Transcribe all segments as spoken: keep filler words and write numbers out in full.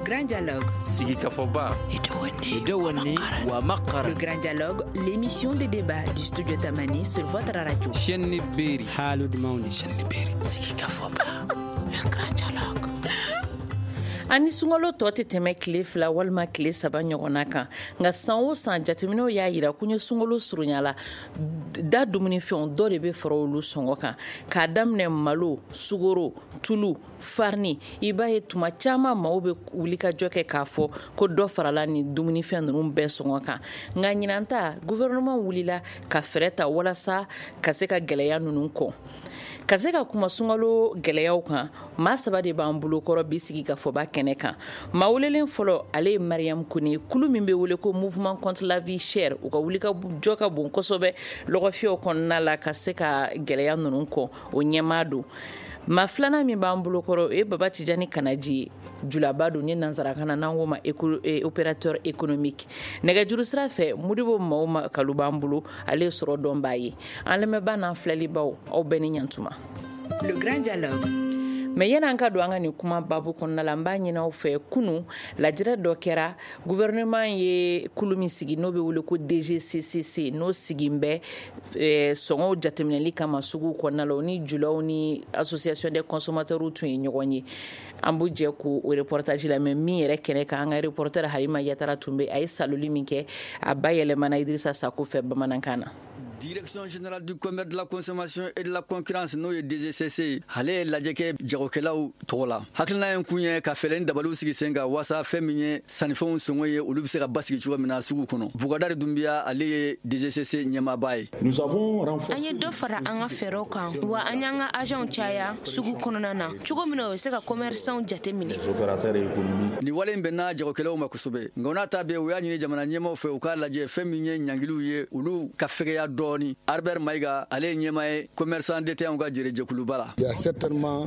Grand Dialogue. Sigikafɔba. Le Grand Dialogue, l'émission de débat du studio Tamani sur votre radio. Chaîne Beri. Haalude mawni. Chaîne Beri. Sigikafɔba. Le Grand Dialogue. Ani sunkalo tɔ tɛ tɛmɛ tile fila walima tile saba ɲɔgɔnna kan, nka san o san jateminɛw y'a yira ko n ye sunkalo surunya la, da dumunifɛnw dɔ de bɛ fara olu sɔngɔ kan, k'a daminɛ malo, sukaro, tulu, farini. I b'a ye tuma caman maaw bɛ wulikajɔ kɛ k'a fɔ ko dɔ farala nin dumunifɛn ninnu bɛɛ sɔngɔ kan. Nka ɲinan ta, gouvernement wulila ka fɛɛrɛ ta walasa ka se ka gɛlɛya ninnu kɔn. Ka se ka kuma sunkalo gɛlɛyaw kan, maa saba de b'an bolokɔrɔ bi sigi ka fɔba kɛnɛ kan. Maa welelen fɔlɔ, ale ye Mariam Kone, kulu min bɛ wele ko Mouvement contre la vie chère, u ka wuli ka jɔ ka bon kosɛbɛ lɔgɔfiyɛw kɔnɔna la ka se ka gɛlɛya ninnu kɔn, o ɲɛmaa don. Maa filanan min b'an bolokɔrɔ, o ye Baba Tijani Kanaji ye, julaba don ni nansarakan na n'an k'o ma opérateur économique. Nɛgɛjuru sira fɛ, Modibo Maw Kalu b'an bolo, ale ye sɔrɔ dɔnbaa ye. An lamɛnbaa n'an filɛlibaw, aw bɛɛ ni ɲantuma. Le Grand Dialogue. Mais yan'an ka don an ka nin kuma babu kɔnɔna la, n b'a ɲini aw fɛ, kunu lajɛrɛ dɔ kɛra, gouvernement ye kulu min sigi n'o bɛ wele ko D G C C C, n'o sigin bɛ sɔngɔw jateminɛli kama sugu kɔnɔna la, o ni julaw ni association des consommateurs tun ye ɲɔgɔn ye. An b'u jɛ k'o reportage lamɛn min yɛrɛ kɛnɛ kan, an ka reporter Halima Yatara tun bɛ, a ye saloli min kɛ, a ba yɛlɛmana Idrissa Sako fɛ bamanankan na. Direction générale du commerce, de la consommation et de la concurrence, n'o ye D G C C, ale ye lajɛ kɛ jagokɛlaw tɔgɔ la. Hakilina ye kun ye ka fɛɛrɛ ni dabaliw sigi sen kan waasa fɛn min ye sannifɛnw sɔngɔ ye, olu bɛ se ka basigi cogo min na sugu kɔnɔ. Bukadari Dunbiya, ale ye D G C C ɲɛmaaba ye. An ye dɔ fara an ka fɛɛrɛw kan wa an y'an ka agentw caya sugu kɔnɔna na cogo min na o bɛ se ka commerçantw jate minɛ. Nin wale in bɛnna jagokɛlaw ma kosɛbɛ, nka o n'a ta bɛɛ, u y'a ɲini jamana ɲɛmaw fɛ u k'a lajɛ fɛn min ye ɲangiliw ye, olu ka fɛgɛya dɔɔni. Albert Mayiga, ale ye ɲɛmaa ye commerçant détaillant ka jɛrɛjɛkuluba la.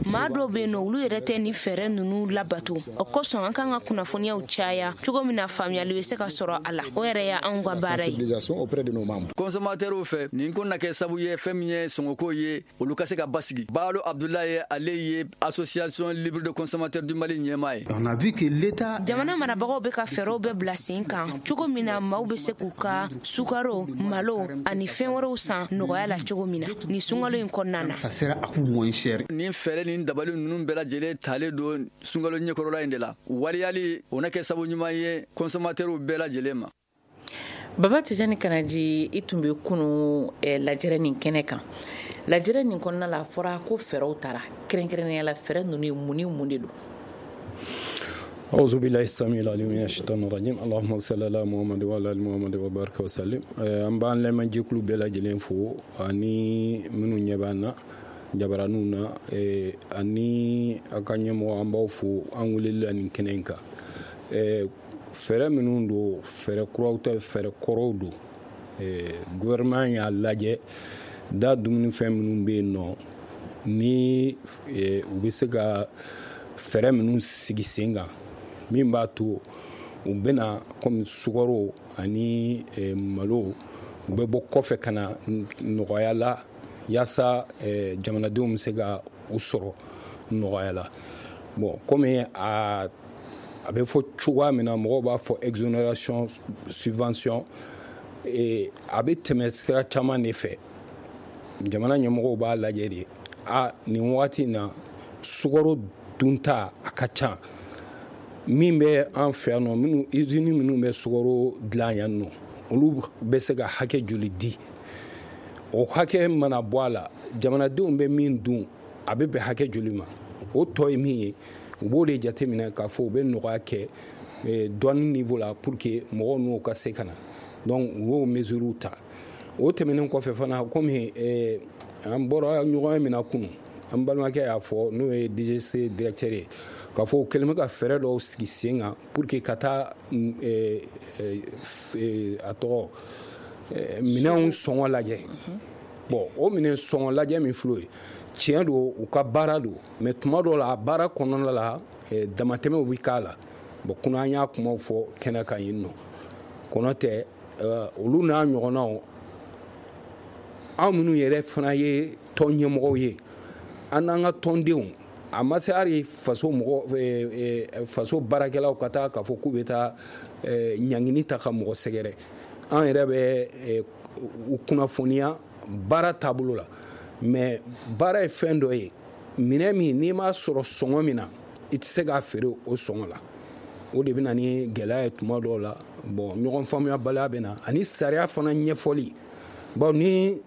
Maa dɔw bɛ yen nɔ, olu yɛrɛ tɛ nin fɛɛrɛ ninnu labato. O kosɔn an kan ka kunnafoniyaw caya cogo min na faamuyali bɛ se ka sɔrɔ a la. O yɛrɛ y'anw ka baara ye. Consommateurs fɛ, nin ko na kɛ sababu ye fɛn min ye sɔngɔko ye, olu ka se ka basigi. Baalo Abdulaye, ale ye Association libre de consommateurs du Mali ɲɛmaa ye. Jamana marabagaw bɛ ka fɛɛrɛw bɛɛ bila sen kan cogo min na maaw bɛ se k'u ka sukaro, malo ani fɛn wɛrɛw san nɔgɔya la cogo min na nin sunkalo in kɔnɔna na. Nin fɛɛrɛ ni dabali ninnu bɛɛ lajɛlen talen don sunkalo ɲɛkɔrɔla in de la. Waleyali o na kɛ sababu ɲuman ye consommateurs bɛɛ lajɛlen ma. Baba Tijani Kanaji, i tun bɛ kunu lajɛrɛ nin kɛnɛ kan. Lajɛrɛ nin kɔnɔna la, a fɔra ko fɛɛrɛw tara, kɛrɛnkɛrɛnnenya la fɛɛrɛ ninnu ye mun ni mun de don? أعوذ بالله السميع العليم من الشيطان الرجيم. اللهم صل على محمد وعلى آل محمد وبارك وسلم. An b'an lamɛnjɛkulu bɛɛ lajɛlen fo, ani minnu ɲɛ b'an na jabaraninw na, ani a ka ɲɛmɔgɔ, an b'aw fo an weleli la nin kɛnɛ in kan. Fɛɛrɛ minnu don, fɛɛrɛ kuraw tɛ, fɛɛrɛ kɔrɔw don. Gouvernement y'a lajɛ da dumunifɛn minnu bɛ yen nɔ ni u bɛ se ka fɛɛrɛ minnu sigi sen kan min b'a to u bɛna komi sukaro ani malo, u bɛ bɔ kɔfɛ ka na nɔgɔya la, yaasa jamanadenw bɛ se ka u sɔrɔ nɔgɔya la. Bon, komi a a bɛ fɔ cogoya min na, mɔgɔw b'a fɔ exonération, subvention, a bɛ tɛmɛ sira caman de fɛ. Jamana ɲɛmɔgɔw b'a lajɛ de, a nin waati in na, sukaro dunta a ka ca min bɛ an fɛ yan nɔ, minnu usine minnu bɛ sukaro dilan yan nɔ, olu bɛ se ka hakɛ joli di? O hakɛ mana bɔ a la, jamanadenw bɛ min dun, a bɛ bɛn hakɛ joli ma? O tɔ ye min ye, u b'o de jateminɛ k'a fɔ u bɛ nɔgɔya kɛ dɔɔni niveau la pour que mɔgɔw n'o ka se ka na. Donc u y'o mesures ta. O tɛmɛnen kɔfɛ fana, komi an bɔra ɲɔgɔn ye min na kunun, an balimakɛ y'a fɔ, n'o ye D G C directeur ye, k'a fɔ u kɛlen bɛ ka fɛɛrɛ dɔw sigi sen kan pour que ka taa a tɔgɔ minɛnw sɔngɔ lajɛ. Bon, o minɛn sɔngɔ lajɛ min filɛ o ye, tiɲɛ don, u ka baara don, mais tuma dɔw la, a baara kɔnɔna la, damatɛmɛw bɛ k'a la. Bon, kunun an y'a kumaw fɔ kɛnɛ kan yen nɔ, kɔnɔ tɛ olu n'a ɲɔgɔnnaw, anw minnu yɛrɛ fana ye tɔn ɲɛmɔgɔw ye, an n'an ka tɔndenw A ma se hali faso mɔgɔ, faso baarakɛlaw ka taa k'a fɔ k'u bɛ taa ɲangini ta ka mɔgɔ sɛgɛrɛ. An yɛrɛ bɛ u kunnafoniya baara taabolo la, mais baara ye fɛn dɔ ye, minɛn min n'i m'a sɔrɔ sɔngɔ min na, i tɛ se k'a feere o sɔngɔ la. O de bɛ na ni gɛlɛya ye tuma dɔw la. Bon, ɲɔgɔn faamuyabaliya bɛ na, ani sariya fana ɲɛfɔli, bawo ni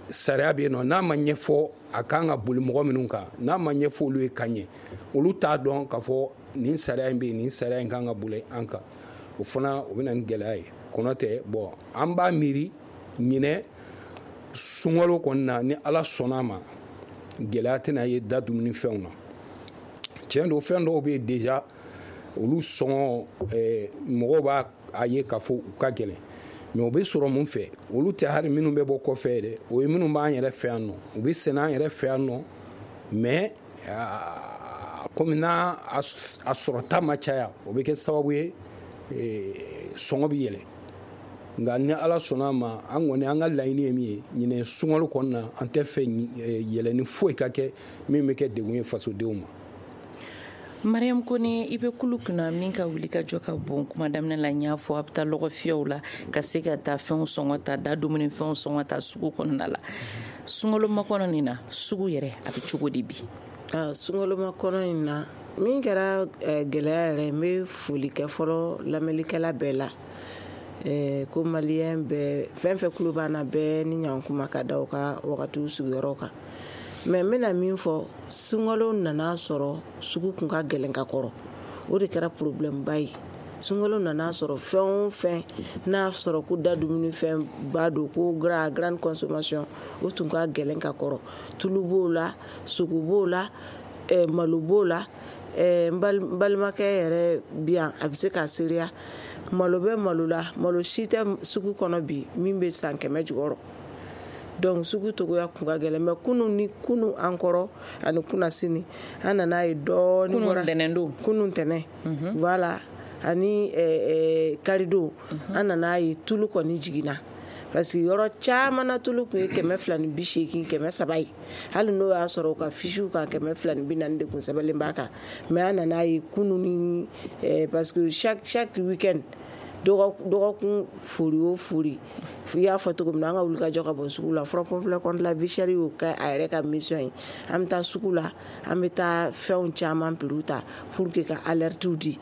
sariya bɛ yen nɔ, n'a ma ɲɛfɔ a kan ka boli mɔgɔ minnu kan, n'a ma ɲɛfɔ olu ye ka ɲɛ, olu t'a dɔn k'a fɔ nin sariya in bɛ yen, nin sariya in kan ka boli an kan. O fana o bɛ na ni gɛlɛya ye. Kɔnɔ tɛ, bon, an b'a miiri ɲinɛ sunkalo kɔni na, ni Ala sɔnna a ma, gɛlɛya tɛna ye da dumunifɛnw na. Tiɲɛ don, fɛn dɔw bɛ yen déjà, olu sɔngɔ mɔgɔw b'a a ye k'a fɔ u ka gɛlɛn, mais o bɛ sɔrɔ mun fɛ? Olu tɛ hali minnu bɛ bɔ kɔfɛ dɛ, o ye minnu b'an yɛrɛ fɛ yan nɔ, u bɛ sɛnɛ an yɛrɛ fɛ yan nɔ, mais komi n'a a sɔrɔta ma caya, o bɛ kɛ sababu ye sɔngɔ bɛ yɛlɛ. Nka ni Ala sɔnna a ma, an kɔni an ka laɲini ye min ye ɲinɛ sunkalo kɔnɔna na, an tɛ fɛ yɛlɛni foyi ka kɛ min bɛ kɛ degun ye fasodenw ma. Mariam Kone, i bɛ kulu kunna min ka wuli ka jɔ ka bon. Kuma daminɛ la, n y'a fɔ, a bɛ taa lɔgɔfiyɛw la ka se ka taa fɛnw sɔngɔ ta, da dumuni fɛnw sɔngɔ ta sugu kɔnɔna la. Sunkalo makɔnɔ nin na, sugu yɛrɛ a bɛ cogo di bi? Sunkalo makɔnɔ in na, min kɛra gɛlɛya yɛrɛ, n bɛ foli kɛ fɔlɔ lamɛnnikɛla bɛɛ la, ko maliyɛn bɛɛ, fɛn fɛn kulo b'an na bɛɛ ni ɲankuma ka da u ka wagatiw sigiyɔrɔ kan. Mais n bɛna min fɔ, sunkalo nana sɔrɔ sugu kun ka gɛlɛn ka kɔrɔ, o de kɛra problème ba ye. Sunkalo nana sɔrɔ fɛn o fɛn n'a sɔrɔ ko da dumunifɛn ba don, ko grande consommation, o tun ka gɛlɛn ka kɔrɔ. Tulu b'o la, sogo b'o la, malo b'o la. N balimakɛ yɛrɛ bi yan, a bɛ se k'a seereya. Malo bɛ malo la, malo si tɛ sugu kɔnɔ bi min bɛ san kɛmɛ jukɔrɔ. Donc sugu togoya kun ka gɛlɛn, mais kunun ni kunun an kɔrɔ ani kunna sini, an nana ye dɔɔnin. Kunun tɛnɛn don. Kunun tɛnɛn. Voilà, ani karidon, an nana ye tulu kɔni jiginna. Parce que yɔrɔ caman na tulu tun ye kɛmɛ fila ni bi seegin, kɛmɛ saba ye. Hali n'o y'a sɔrɔ u ka fisiw kan kɛmɛ fila ni bi naani de kun sɛbɛnlen b'a kan. Mais an nana ye kunun ni, parce que chaque chaque week-end, dɔgɔkun fori o fori, i y'a fɔ cogo min na, an ka wulikajɔ ka bɔ sugu la. Front populaire contre la vie chère y'o kɛ a yɛrɛ ka mission ye. An bɛ taa sugu la, an bɛ taa fɛnw caman prix ta pour que ka alertew di.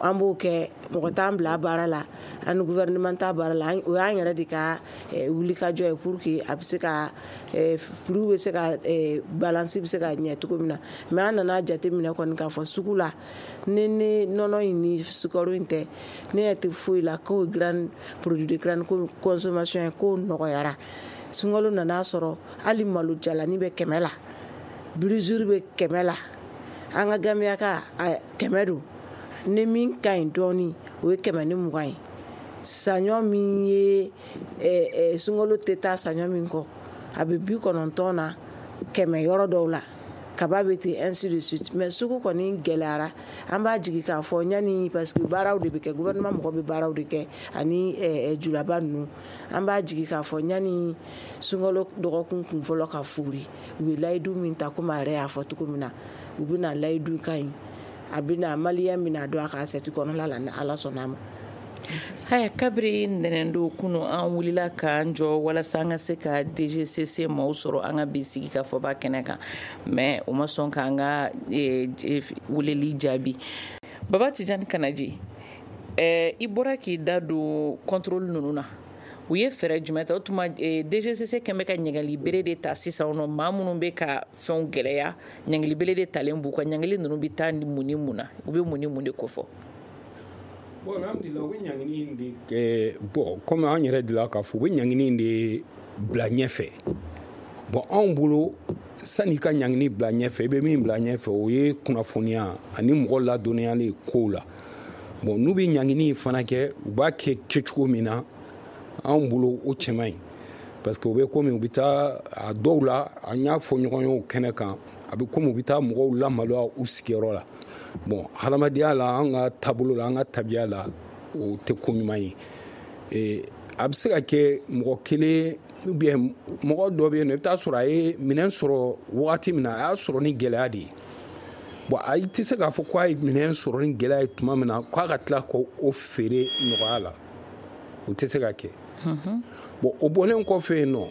An b'o kɛ, mɔgɔ t'an bila baara la, an ni gouvernement t'a baara la, o y'an yɛrɛ de ka wulikajɔ ye pour que a bɛ se ka prix bɛ se ka balance bɛ se ka ɲɛ cogo min na. Mais an nana jateminɛ kɔni k'a fɔ sugu la, ni ni nɔnɔ in ni sukaro in tɛ, ne ɲɛ tɛ foyi la k'o grande produit de grande consommation ye, k'o nɔgɔyara. Sunkalo nana sɔrɔ hali malo jalani bɛ kɛmɛ la, brisure bɛ kɛmɛ la, an ka gamiyaka kɛmɛ don. Ni min ka ɲi dɔɔnin, o ye kɛmɛ ni mugan ye. Saɲɔ min ye sunkalo tɛ taa saɲɔ min kɔ, a bɛ bi kɔnɔntɔn na kɛmɛ yɔrɔ dɔw la, kaba bɛ ten, ainsi de suite. Mais sugu kɔni gɛlɛyara, an b'a jigi k'a fɔ ɲani, parce que baaraw de bɛ kɛ, gouvernement mɔgɔ bɛ baaraw de kɛ ani julaba ninnu. An b'a jigi k'a fɔ ɲani sunkalo dɔgɔkun kun fɔlɔ ka fori, u ye layidu min ta, komi a yɛrɛ y'a fɔ cogo min na, u bɛna layidu ka ɲi, a bɛna maliyɛn bɛna don a ka assiette kɔnɔna la ni Ala sɔnna a ma. Haya, kabiri ntɛnɛndon kunu, an wulila k'an jɔ walasa an ka se ka D G C C maaw sɔrɔ an ka bi sigi ka fɔba kɛnɛ kan, mais o ma sɔn k'an ka weleli jaabi. Baba Tijani Kanaji, i bɔra k'i da don contrôle ninnu na, u ye fɛɛrɛ jumɛn ta? O tuma D G C C kɛn bɛ ka ɲɛgɛli bere de ta sisan nɔ, maa minnu bɛ ka fɛnw gɛlɛya, ɲɛgɛli bere de talen b'u kan. Ɲɛgɛli ninnu bɛ taa ni mun ni mun na, u bɛ mun ni mun de kofɔ? Bon, alhamdulillah, u bɛ ɲangini de kɛ. Bon, komi an yɛrɛ delila k'a fɔ, u bɛ ɲangini de bila ɲɛfɛ. Bon, anw bolo, sanni ka ɲangini bila ɲɛfɛ, i bɛ min bila ɲɛfɛ, o ye kunnafoniya ani mɔgɔ ladɔnniyali kow la. Bon, n'u bɛ ɲangini fana kɛ, u b'a kɛ kɛcogo min na, anw bolo o cɛ man ɲi, parce que u bɛ komi u bɛ taa a dɔw la, an y'a fɔ ɲɔgɔn ye o kɛnɛ kan, a bɛ komi u bɛ taa mɔgɔw lamaloya u sigiyɔrɔ la. Bon, hadamadenya la, an ka taabolo la, an ka tabiya la, o tɛ ko ɲuman ye. A bɛ se ka kɛ mɔgɔ kelen ou bien mɔgɔ dɔ bɛ yen nɔ, i bɛ taa sɔrɔ a ye minɛn sɔrɔ wagati min na, a y'a sɔrɔ ni gɛlɛya de ye. Bon, a i tɛ se k'a fɔ k'a ye minɛn sɔrɔ ni gɛlɛya ye tuma min na k'a ka tila k'o feere nɔgɔya la, o tɛ se ka kɛ. Bon, o bɔlen kɔfɛ yen nɔ,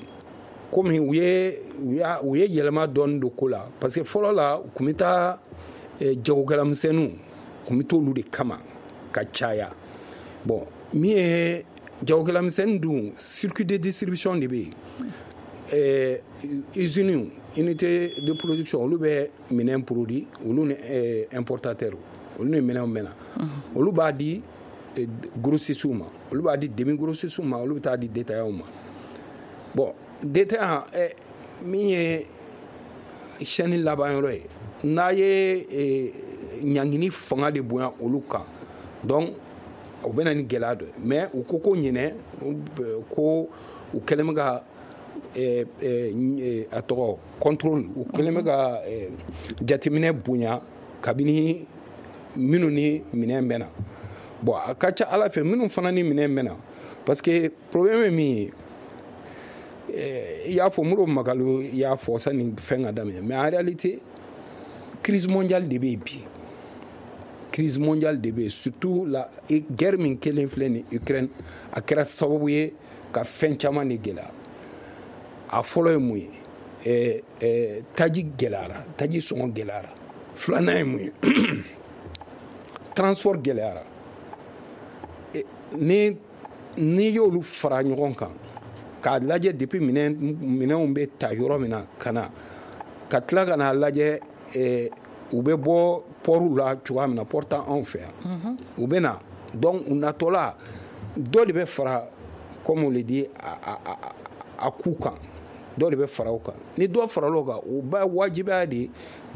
komi u ye u ye yɛlɛma dɔɔni don ko la, parce que fɔlɔ la u tun bɛ taa jagokɛlamisɛnninw tun bɛ t'olu de kama ka caya. Bon, min ye jagokɛlamisɛnnin dun, circuit de distribution de bɛ yen. Eh, usines, unité de production, olu bɛ minɛn produit, olu ni eh, importateur, olu ni minɛnw bɛ na, olu b'a di eh, grossistes ma, olu b'a di demi grossistes ma, olu bɛ taa di détaillants ma. Bon, détaillant eh, min ye chaîne laban yɔrɔ ye, n'a ye eh, ɲangini fanga de bonya olu kan, donc o bɛ na ni gɛlɛya dɔ ye. Mais u ko ko ɲinɛ ko u kɛlen bɛ ka Eh, eh, a tɔgɔ contrôle, u kɛlen bɛ ka eh, jateminɛ bonya kabini minnu ni minɛn bɛ na. Bon, a ka ca ala fɛ minnu fana ni minɛn bɛ na, parce que problème ye min ye, i y'a fɔ Modibo Makalou y'a fɔ sani fɛn ka daminɛ, mais en réalité crise mondiale de bɛ yen bi. Crise mondiale de bɛ yen, surtout la guerre min kɛlen filɛ nin Ukraine, a kɛra sababu ye ka fɛn caman de gɛlɛya. A fɔlɔ ye mun ye? eh, eh, taji gɛlɛyara, taji sɔngɔ gɛlɛyara. Filanan ye mun ye? Transport gɛlɛyara. Eh, ni n'i y'olu fara ɲɔgɔn kan k'a lajɛ depuis minɛn minɛnw bɛ ta yɔrɔ min na ka na, ka tila ka n'a lajɛ eh, u bɛ bɔ port la cogoya min na, port t'anw fɛ yan, u bɛ na, donc u natɔla dɔ de bɛ fara, comme on le dit, a a a a ku kan, dɔ de bɛ fara o kan. Ni dɔ farala o kan, o b'a wajibiya de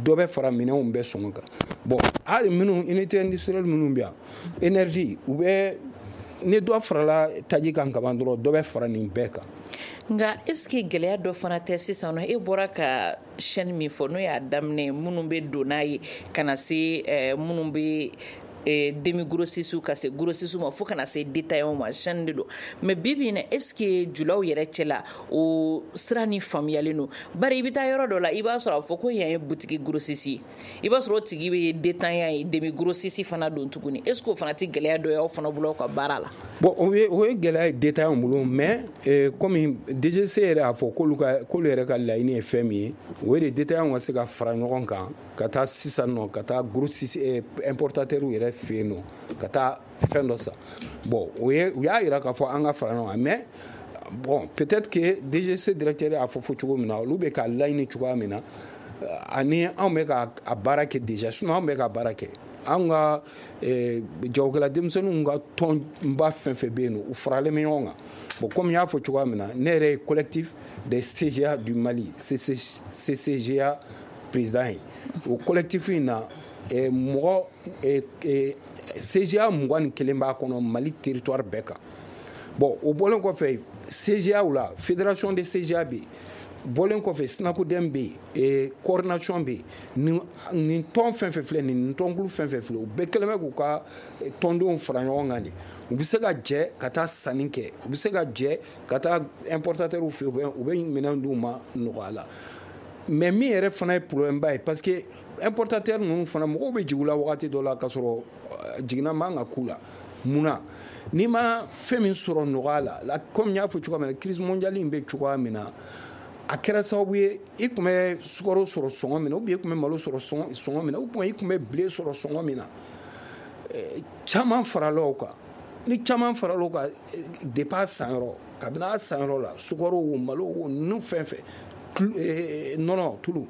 dɔ bɛ fara minɛnw bɛɛ sɔngɔ kan. Bon, hali minnu unité industrielle minnu bɛ yan, énergie, u bɛ ni dɔ farala taji kan kaban dɔrɔn, dɔ bɛ fara nin bɛɛ kan. Nka est ce que gɛlɛya dɔ fana tɛ sisan nɔ? E bɔra ka chaîne min fɔ, n'o y'a daminɛ minnu bɛ don n'a ye ka na se minnu bɛ demi grossistes ka se grossistes ma fo ka na se détaillants ma, chaîne de don. Mais bi bi in na, est ce que julaw yɛrɛ cɛ la o sira ni faamuyalen don? Bari i bɛ taa yɔrɔ dɔ la, i b'a sɔrɔ a fɔ ko yan ye boutique grossiste ye, i b'a sɔrɔ o tigi bɛ détaillant ye, demi grossiste fana don tuguni. Est ce que o fana tɛ gɛlɛya dɔ ye aw fana bolo aw ka baara la? Bon, o ye o ye gɛlɛya ye détaillants bolo, mais eh, komi D G C yɛrɛ y'a fɔ k'olu ka k'olu yɛrɛ ka laɲini ye fɛn min ye, o ye de détaillants ka se ka fara ɲɔgɔn kan ka taa sisan nɔ ka taa grossiste eh, importateur yɛrɛ fɛ yen nɔ ka taa fɛn dɔ san. Bon, o ye u y'a yira k'a fɔ an ka fara ɲɔgɔn kan, mais bon, peut-être que D G C directeur y'a fɔ fɔ cogo min na, olu bɛ ka laɲini cogoya min na, ani anw bɛ ka a baara kɛ déjà, sinon anw bɛ ka baara kɛ. Anw ka jagokɛla denmisɛnninw ka tɔnba fɛn fɛn bɛ yen nɔ, u faralen bɛ ɲɔgɔn kan. Bon, comme n y'a fɔ cogoya min na, ne yɛrɛ ye collectif des C G A du Mali, C C G A président ye. O collectif in na, mɔgɔ C G A mugan ni kelen b'a kɔnɔ Mali territoire bɛɛ kan. Bon, o bɔlen kɔfɛ C G A la, fédération des C G A bɛ yen, bɔlen kɔfɛ SYNACODEM bɛ yen, coordination bɛ yen. Nin tɔn fɛn fɛn filɛ nin, nin tɔnkulu fɛn fɛn filɛ, u bɛɛ kɛlen bɛ k'u ka tɔndenw fara ɲɔgɔn kan de. U bɛ se ka jɛ ka taa sanni kɛ, u bɛ se ka jɛ ka taa importateur fɛ yen, u bɛ minɛn d'u ma nɔgɔya la. Mais min yɛrɛ fana ye problème ba ye, parce que importateur ninnu fana mɔgɔw bɛ jigin u la wagati dɔ la k'a sɔrɔ jiginna man ka k'u la. Mun na? N'i ma fɛn min sɔrɔ nɔgɔya la, comme n y'a fɔ cogoya min na, crise mondiale in bɛ cogoya min na, a kɛra sababu ye i tun bɛ sukaro sɔrɔ sɔngɔ min na, ou bien i tun bɛ malo sɔrɔ sɔngɔ min na, ou bien i tun bɛ blé sɔrɔ sɔngɔ min na, caman farala o kan. Ni caman farala o kan, depuis a sanyɔrɔ, kabini a sanyɔrɔ la, sukaro o, malo o, ninnu fɛn fɛn, nɔnɔ, tulu,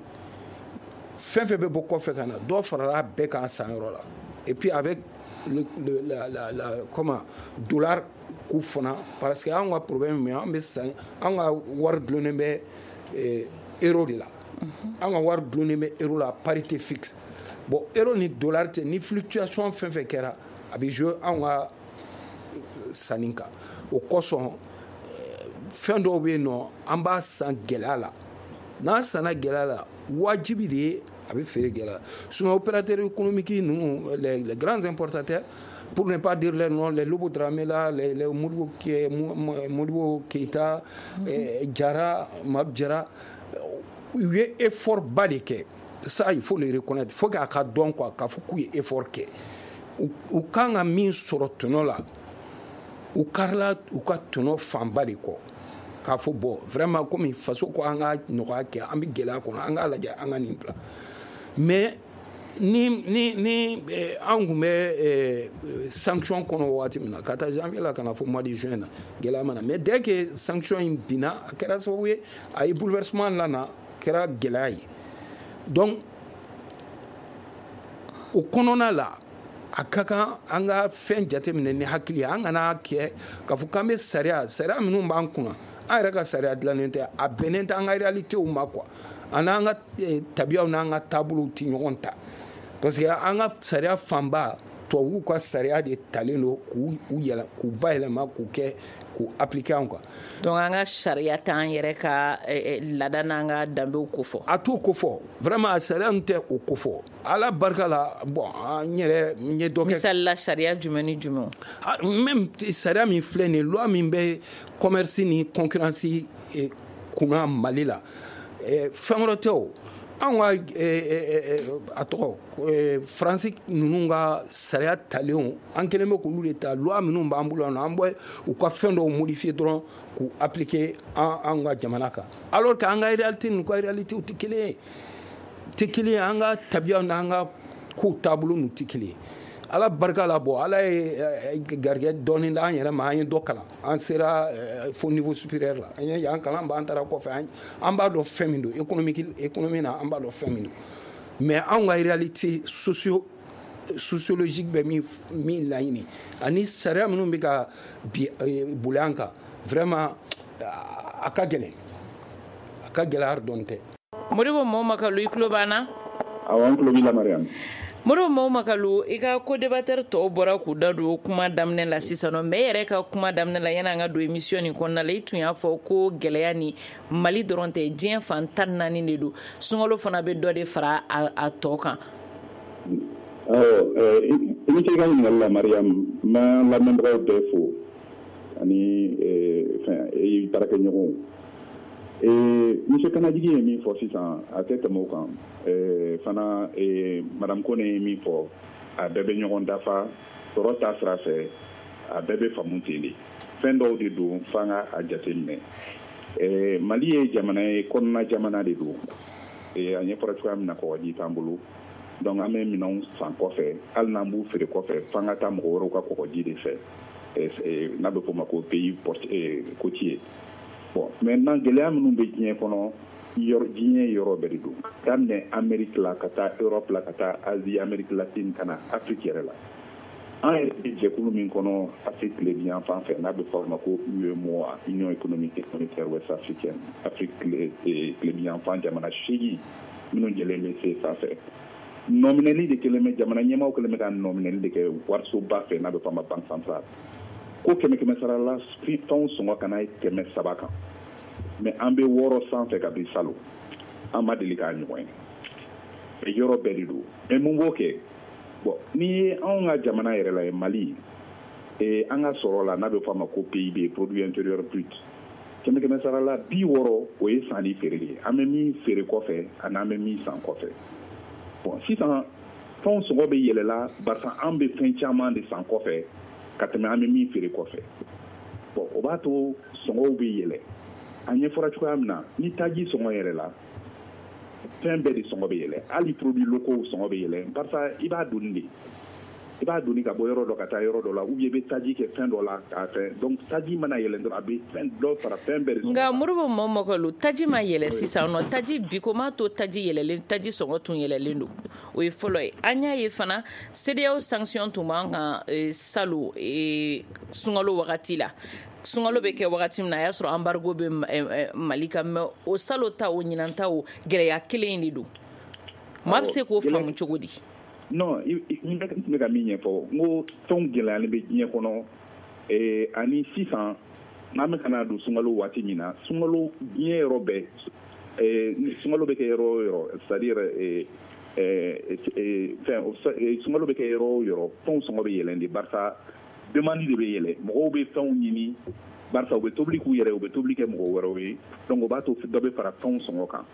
fɛn fɛn bɛ bɔ kɔfɛ ka na, dɔ farala bɛɛ kan sanyɔrɔ la. Et puis avec le, le, la, la, la, comment, dollar k'u fana, parce que an ka problème min, an bɛ san, an ka wari dulonnen bɛ euro de la, an ka wari dulonnen bɛ euro la, parité fixe. Bon, euro ni dollar tɛ, ni fluctuation fɛn fɛn kɛra, a bɛ jouer anw ka sanni kan. O kosɔn fɛn dɔw bɛ yen nɔ, an b'a san gɛlɛya la. N'an sanna gɛlɛya la, wajibi de ye a bɛ feere gɛlɛya. Sinon opérateurs économiques ninnu, les, les grands importateurs, pour ne pas dire les noms, les Lobo Dramé là, les, les Modibo, Modibo Keita, mm -hmm. eh, Jara, Mab Jara, u ye effort ba de kɛ. Ça, il faut le reconnaître. Il faut k'a ka dɔn quoi, k'a fɔ k'u ye effort kɛ. U kan ka min sɔrɔ tɔnɔ la, u karila u ka tɔnɔ fanba de kɔ. K'a fɔ bon, vraiment komi faso ko an ka nɔgɔya kɛ, an bɛ gɛlɛya kɔnɔ, an k'a lajɛ an ka nin bila. Mais ni ni ni an kun bɛ sanction kɔnɔ waati min na, ka taa janvier la ka na fɔ mois de juin na, gɛlɛya ma na. Mais dès que sanction in binna, a kɛra sababu ye, a ye bouleversement lana, a kɛra gɛlɛya ye. Donc o kɔnɔna la, a ka kan an ka fɛn jateminɛ ni hakili ye. An kana kɛ k'a fɔ k'an bɛ sariya sariya minnu b'an kunna, an yɛrɛ ka sariya dilannen tɛ, a bɛnnen tɛ an ka réalitéw ma quoi. A n'an ka tabiyaw n'an ka taabolow tɛ ɲɔgɔn ta, parce que an ka sariya fanba tubabuw ka sariya de talen don k'u yɛlɛ k'u bayɛlɛma k'u kɛ k'u appliquer an kan. Donc an ka sariya t'an yɛrɛ ka laada n'an ka danbew kofɔ. A t'o kofɔ, vraiment a sariya ninnu tɛ o kofɔ. Ala barika la, bon, an yɛrɛ n ye dɔ kɛ. Misali la, sariya jumɛn ni jumɛn? Même sariya min filɛ nin ye, loi min bɛ commerce ni concurrence kunna Mali la, fɛn wɛrɛ tɛ o. Anw ka a tɔgɔ Faransi ninnu ka sariya talenw, an kɛlen bɛ k'olu de ta. Loi minnu b'an bolo yan nɔ, an bɛ u ka fɛn dɔw modifier dɔrɔn k'u appliquer an an ka jamana kan, alors que an ka réalité n'u ka réalité tɛ kelen ye, tɛ kelen ye. An ka tabiyaw n'an ka kow taabolo ninnu tɛ kelen ye. Ala barika la, bon, Ala ye garijɛgɛ dɔɔni d'an yɛrɛ ma, an ye dɔ kalan, an sera fo niveau supérieur la, an ye yan kalan b'an taara kɔfɛ, an b'a dɔn fɛn min don économique économie na, an b'a dɔn fɛn min don. Mais anw ka réalité socio sociologique bɛ min min laɲini ani sariya minnu bɛ ka bi boli an kan, vraiment a ka gɛlɛn, a ka gɛlɛn hali dɔɔni tɛ. Modibo Mɔmakalu, i tulo b'an na? Awɔ, an tulo b'i la, Mariam. Modibo Mɔmakalu, i ka co-débatteur tɔw bɔra k'u da don kuma daminɛ la sisan nɔ, mais e yɛrɛ ka kuma daminɛ la, yanni an ka don émission nin kɔnɔna la, i tun y'a fɔ ko gɛlɛya ni Mali dɔrɔn tɛ, diɲɛ fan tan ni naani de don, sunkalo fana bɛ dɔ de fara a tɔ kan. Awɔ, i ni ce i ka ɲininkali la, Mariam. N b'an lamɛnbagaw bɛɛ fo ani fɛn i baarakɛɲɔgɔnw. Monsieur Kanajigi ye min fɔ sisan, a tɛ tɛmɛ o kan. Fana Madame Kone ye min fɔ, a bɛɛ bɛ ɲɔgɔn dafa sɔrɔ ta sira fɛ, a bɛɛ bɛ faamu ten de. Fɛn dɔw de don f'an ka a jateminɛ. Mali ye jamana ye, kɔnɔna jamana de don. A ɲɛfɔra cogoya min na, kɔgɔji t'an bolo. Donc an bɛ minɛnw san kɔfɛ, hali n'an b'u feere kɔfɛ, f'an ka taa mɔgɔ wɛrɛw ka kɔgɔji de fɛ, n'a bɛ f'o ma ko pays côtier. Bon, maintenant gɛlɛya minnu bɛ diɲɛ kɔnɔ, yɔrɔ diɲɛ yɔrɔ bɛɛ de don. Daminɛ Amérique la ka taa Europe la ka taa Asie, Amérique latine ka na Afrique yɛrɛ la. An yɛrɛ bɛ jɛkulu min kɔnɔ Afrique tilebinyan fan fɛ, n'a bɛ fɔ o ma ko UEMOA, Union économique et monétaire ouest africaine, Afrique tilebinyan fan jamana seegin minnu jɛlen bɛ C F A fɛ. Nɔminɛli de kɛlen bɛ, jamana ɲɛmaaw kɛlen bɛ ka nɔminɛli de kɛ warisoba fɛ, n'a bɛ fɔ a ma Banque centrale. Ko kɛmɛ kɛmɛ sara la, fɛnw sɔngɔ kana ye kɛmɛ saba kan, mais an bɛ wɔɔrɔ sanfɛ ka bi salon, an ma deli k'a ɲɔgɔn ye. Yɔrɔ bɛɛ de don. Mais mun b'o kɛ? Bon, n'i ye anw ka jamana yɛrɛ la ye, Mali, an ka sɔrɔ la, n'a bɛ fɔ a ma ko P I B, produit intérieur brut, kɛmɛ kɛmɛ sara la bi wɔɔrɔ, o ye sanni feere ye. An bɛ min feere kɔfɛ ani an bɛ min san kɔfɛ. Bon, sisan fɛnw sɔngɔ bɛ yɛlɛla barisa an bɛ fɛn caman de san kɔfɛ ka tɛmɛ an bɛ min feere kɔfɛ. Bon, o b'a to sɔngɔw bɛ yɛlɛ. A ɲɛfɔra cogoya min na, ni taji sɔngɔ yɛlɛla, fɛn bɛɛ de sɔngɔ bɛ yɛlɛ, hali produits locaux sɔngɔ bɛ yɛlɛ, barisa i b'a doni de, i b'a doni ka bɔ yɔrɔ dɔ ka taa yɔrɔ dɔ la, ou bien i bɛ taji kɛ fɛn dɔ la k'a fɛn. Donc taji mana yɛlɛ dɔrɔn, a bɛ fɛn dɔ fara fɛn bɛɛ de. Nka Modibo Mɔmɔkalu, taji ma yɛlɛ sisan nɔ, taji bi ko m'a to taji yɛlɛlen, taji sɔngɔ tun yɛlɛlen don, o ye fɔlɔ ye. An y'a ye fana CEDEAO sanction tun b'an kan salon sunkalo wagati la. Sunkalo bɛ kɛ wagati min na, a y'a sɔrɔ embargo bɛ Mali kan, mais o salon ta o ɲinan ta o gɛlɛya kelen in de don. Maa bɛ se k'o faamu cogo di? Non, n bɛ ka min ɲɛfɔ, n ko fɛnw gɛlɛyalen bɛ diɲɛ kɔnɔ, ani sisan n'an bɛ ka na don sunkalo waati min na, sunkalo diɲɛ yɔrɔ bɛɛ, sunkalo bɛ kɛ yɔrɔ o yɔrɔ, c'est à dire fɛn sunkalo bɛ kɛ yɔrɔ o yɔrɔ, fɛnw sɔngɔ bɛ yɛlɛn de, barisa demande de bɛ yɛlɛ, mɔgɔw bɛ fɛnw ɲini, barisa u bɛ tobili k'u yɛrɛ, u bɛ tobili kɛ mɔgɔ wɛrɛw ye, donc o b'a to dɔ bɛ fara fɛnw sɔngɔ kan.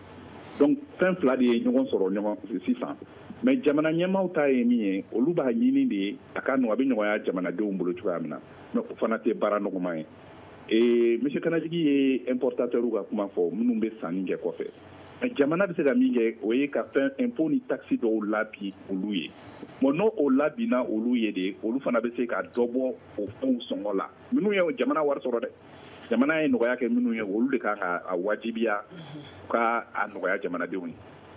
Donc fɛn fila de ye ɲɔgɔn sɔrɔ ɲɔgɔn sisan. Mais jamana ɲɛmaaw ta ye min ye, olu b'a ɲini de a ka nɔgɔ, a bɛ nɔgɔya jamanadenw bolo cogoya min na, mais o fana tɛ baara nɔgɔman ye. Et monsieur Kanajigi ye importateur ka kuma fɔ, minnu bɛ sanni kɛ kɔfɛ. Mais jamana bɛ se ka min kɛ, o ye ka fɛn impôt ni taxe dɔw labin olu ye. Bon, n'o o labinna olu ye de, olu fana bɛ se ka dɔ bɔ o fɛnw sɔngɔ la. Minnu ye jamana wari sɔrɔ dɛ, jamana ye nɔgɔya kɛ minnu ye, olu de kan ka a wajibiya ka a nɔgɔya jamanadenw ye.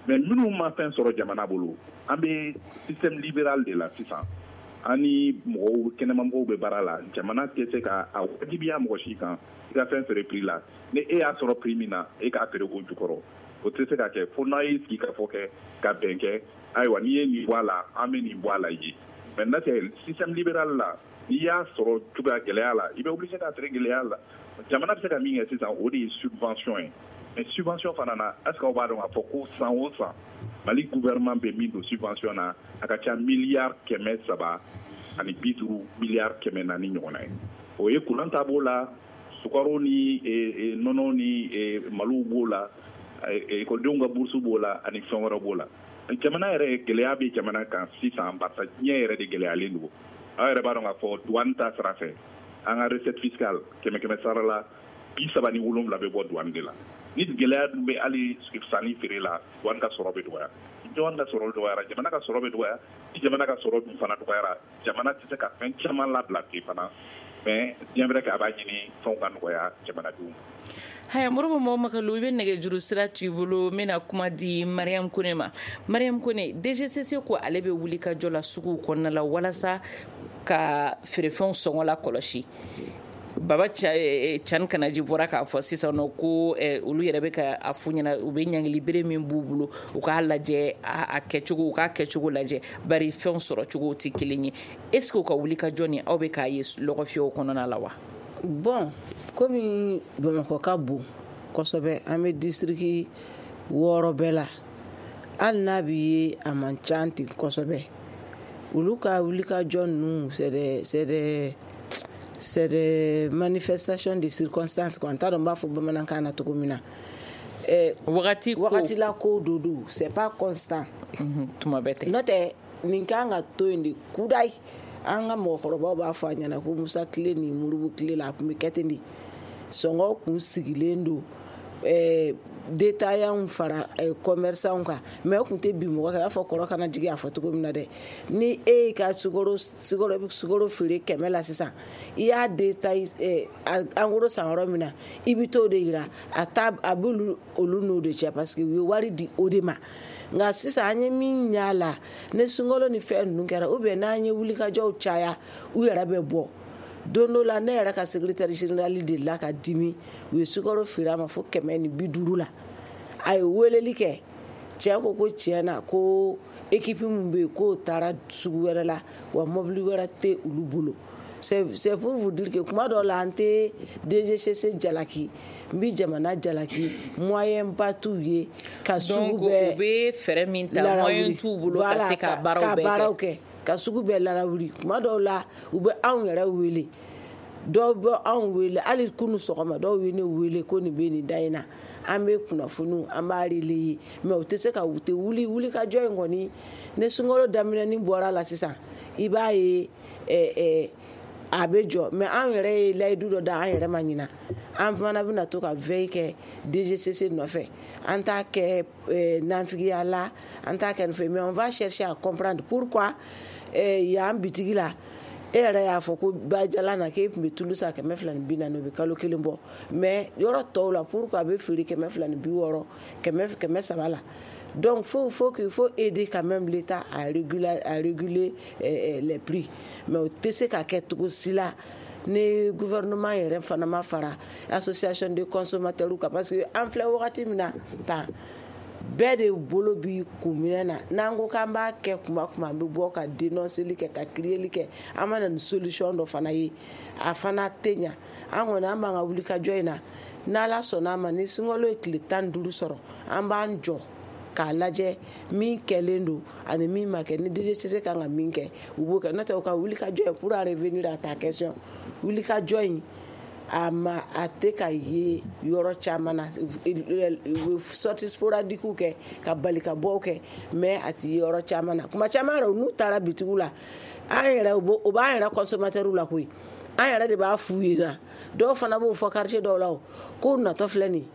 Mais minnu ma fɛn sɔrɔ jamana bolo, an bɛ système libéral de la sisan. An ni mɔgɔw, kɛnɛmamɔgɔw bɛ baara la, jamana tɛ se ka a wajibiya mɔgɔ si kan i ka fɛn feere prix la. Ni e y'a sɔrɔ prix min na, e k'a feere o jukɔrɔ. O tɛ se ka kɛ fo n'a ye sigi ka fɔ kɛ ka bɛn kɛ, ayiwa n'i ye nin bɔ a la, an bɛ nin bɔ a la ye. Mais n'a tɛ système libéral la, n'i y'a sɔrɔ cogoya gɛlɛya la, i bɛ obligé k'a feere gɛlɛya la. Jamana bɛ se ka min kɛ sisan, o de ye subvention ye. Mais subvention fana na, est-ce que aw b'a dɔn k'a fɔ ko san o san Mali gouvernement bɛ min don subvention na, a ka ca miliyari kɛmɛ saba ani bi duuru, miliyari kɛmɛ naani ɲɔgɔnna ye. O ye courant ta b'o la, sukaro ni nɔnɔ ni maliw b'o la, ekɔlidenw ka bourse b'o la, ani fɛn wɛrɛ b'o la. Jamana yɛrɛ, gɛlɛya bɛ jamana kan sisan, barisa diɲɛ yɛrɛ de gɛlɛyalen don. Aw yɛrɛ b'a dɔn k'a fɔ douane ta sira fɛ, an ka recette fiscale kɛmɛ kɛmɛ sara la bi saba ni wolonwula bɛ bɔ douane de la. Ni gɛlɛya dun bɛ hali sanni feere la, douane ka sɔrɔ bɛ dɔgɔya. Ni douane ka sɔrɔ dɔgɔyara, jamana ka sɔrɔ bɛ dɔgɔya. Ni jamana ka sɔrɔ dun fana dɔgɔyara, jamana tɛ se ka fɛn caman labila ten fana. Mais bien vrai que a b'a ɲini fɛnw ka nɔgɔya jamanadenw. Haya, Moribo Makalu, i bɛ nɛgɛjuru sira t'i bolo, n bɛna kuma di Mariam Kone ma. Mariam Kone, D G C C ko ale bɛ wuli ka jɔ la suguw kɔnɔna la walasa ka feerefɛnw sɔngɔ la kɔlɔsi. Baba Cani Kanaji bɔra k'a fɔ sisan nɔ ko olu yɛrɛ bɛ ka a f'u ɲɛna, u bɛ ɲangili bere min b'u bolo, u k'a lajɛ a kɛcogo, u k'a kɛcogo lajɛ, bari fɛnw sɔrɔ cogo tɛ kelen ye. Est ce que u ka wuli ka jɔ ni aw bɛ k'a ye lɔgɔfiyɛw kɔnɔna la wa? Bon, komi Bamakɔ ka bon kosɛbɛ, an bɛ district wɔɔrɔ bɛɛ la, hali n'a bɛ ye a man ca ten kosɛbɛ. Olu ka wuli ka jɔ ninnu, c'est des c'est des c'est des manifestations de circonstances quoi. N t'a dɔn n b'a fɔ bamanankan na cogo min na. Wagati ko wagati la ko do don, c'est pas constant. Tuma bɛɛ tɛ. N'o tɛ nin kan ka to yen de kudayi. An ka mɔgɔkɔrɔbaw b'a fɔ a ɲɛna ko Musa tile ni Moribo tile la, a tun bɛ kɛ ten de. Sɔngɔ kun sigilen don, ɛɛ détaillants fara commerçants kan, mais o tun tɛ bin mɔgɔ kan. I b'a fɔ kɔrɔ kana jigin a fɔ cogo min na dɛ. Ni e y'i ka sukaro sukaro sukaro feere kɛmɛ la sisan, i y'a détail en gros san yɔrɔ min na, i bɛ t'o de yira a ta, a b'olu olu n'o de cɛ, parce que u ye wari di o de ma. Nka sisan an ye min y'a la, ni sunkalo ni fɛn ninnu kɛra, ou bien n'an ye wulikajɔw caya, u yɛrɛ bɛ bɔ. Don dɔ la, ne yɛrɛ ka secrétaire général delila ka dimi, u ye sukaro feere a ma fo kɛmɛ ni bi duuru la. A ye weleli kɛ, cɛ ko ko tiɲɛ na ko équipe min bɛ yen k'o taara sugu wɛrɛ la, wa mobili wɛrɛ tɛ olu bolo. C'est c'est pour vous dire que kuma dɔw la, an tɛ D G C C jalaki, n bɛ jamana jalaki, moyen ba t'u ye ka sugu bɛɛ. Donc u bɛ fɛɛrɛ min ta, moyen t'u bolo ka se ka baaraw bɛɛ kɛ. Ka baaraw kɛ, ka sugu bɛɛ larawuli. Kuma dɔw la, u bɛ anw yɛrɛ wele, dɔw bɛ anw wele hali kunu sɔgɔma, dɔw ye ne wele ko nin bɛ nin da in na, an bɛ kunnafoniw an b'a relayer, mais u tɛ se ka u tɛ wuli wuli ka jɔ in kɔni. Ni sunkalo daminɛni bɔra la sisan, i b'a ye ɛɛ ɛɛ a bɛ jɔ. Mais anw yɛrɛ ye layidu dɔ da an yɛrɛ ma ɲina, an fana bɛna to ka veille kɛ D G C C nɔfɛ. An t'a kɛ nanfigiya la, an t'a kɛ nin fɛ, mais on va chercher à comprendre pourquoi yan bitigi la, e yɛrɛ y'a fɔ ko Bajala na k'e tun bɛ tulu san kɛmɛ fila ni bi naani, o bɛ kalo kelen bɔ, mais yɔrɔ tɔw la pourquoi a bɛ feere kɛmɛ fila ni bi wɔɔrɔ, kɛmɛ kɛmɛ saba la. Donc faut faut qu'il faut aider quand même l'État à réguler à réguler eh, les prix. Mais o tɛ se ka kɛ cogo si la ni gouvernement yɛrɛ fana ma fara association de consommateurs kan, parce que an filɛ wagati min na tan, bɛɛ de bolo bi kun minɛ na. N'an ko k'an b'a kɛ kuma kuma, an bɛ bɔ ka dénonceli kɛ, ka crieli kɛ, an ma na ni solution dɔ fana ye, a fana tɛ ɲa. An kɔni an b'an ka wuli ka jɔ in na, n'Ala sɔnna a ma, ni sunkalo ye tile tan ni duuru sɔrɔ, an b'an jɔ k'a lajɛ min kɛlen don ani min ma kɛ. Ni D G C C kan ka min kɛ, u b'o kɛ. N'o tɛ u ka wuli ka jɔ in, pour en revenir à ta question, wuli ka jɔ in A ma a tɛ ka ye yɔrɔ caman na, u bɛ sortie sporadique kɛ ka bali ka bɔ kɛ, mais a tɛ ye yɔrɔ caman na. Kuma caman yɛrɛ, n'u taara bitigiw la, an yɛrɛ o b'an yɛrɛ consommateur la koyi, an yɛrɛ de b'a f'u ɲɛna. Dɔw fana b'o fɔ quartier dɔw la, o k'o natɔ filɛ nin ye.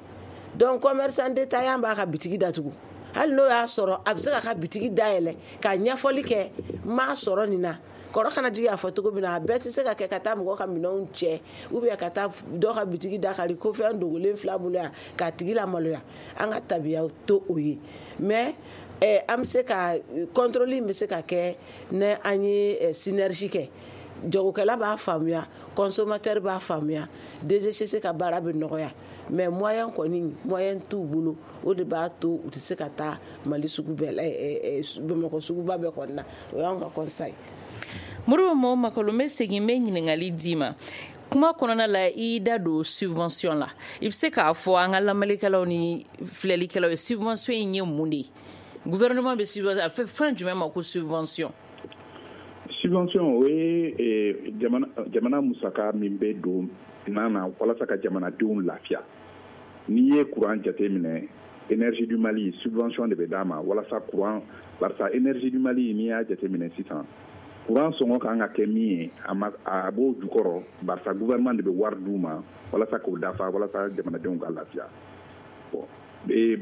Donc commerçant détaillant b'a ka bitigi datugu, hali n'o y'a sɔrɔ a bɛ se k'a ka bitigi dayɛlɛ ka ɲɛfɔli kɛ, n m'a sɔrɔ nin na. Kɔrɔ kana jigin a fɔ cogo min na, a bɛɛ tɛ se ka kɛ ka taa mɔgɔ ka minɛnw cɛ ou bien ka taa dɔ ka bitigi da kari ko fɛn dogolen fila bolo yan k'a tigi lamaloya. An ka tabiyaw to o ye, mais eh, an bɛ se ka contrôle in bɛ se ka kɛ ni an ye eh, synergie kɛ. Jagokɛla b'a faamuya, consommateur b'a faamuya, D G C C ka baara bɛ nɔgɔya. Mais moyen kɔni, moyen t'u bolo, o de b'a to u tɛ se ka taa Mali sugu bɛɛ la, Bamakɔ suguba bɛɛ kɔni na. O y'anw ka constat ye. Moribo Mao Makalo, n bɛ segin, n bɛ ɲininkali d'i ma. Kuma kɔnɔna la, i da don subvention la. I bɛ se k'a fɔ an ka lamɛnnikɛlaw ni filɛlikɛlaw ye, subvention in ye mun de ye? Gouvernement bɛ subvention a fɛ fɛn jumɛn ma ko subvention? Subvention, o ye jamana jamana musaka min bɛ don nan na walasa ka jamanadenw lafiya. N'i ye courant jateminɛ, Énergie du Mali, subvention de bɛ d'a ma walasa courant, barisa Énergie du Mali, n'i y'a jateminɛ sisan, courant sɔngɔ kan ka kɛ min ye, a ma, a b'o jukɔrɔ, barisa gouvernement de bɛ wari d'u ma walasa k'o dafa, walasa jamanadenw ka lafiya. Bon,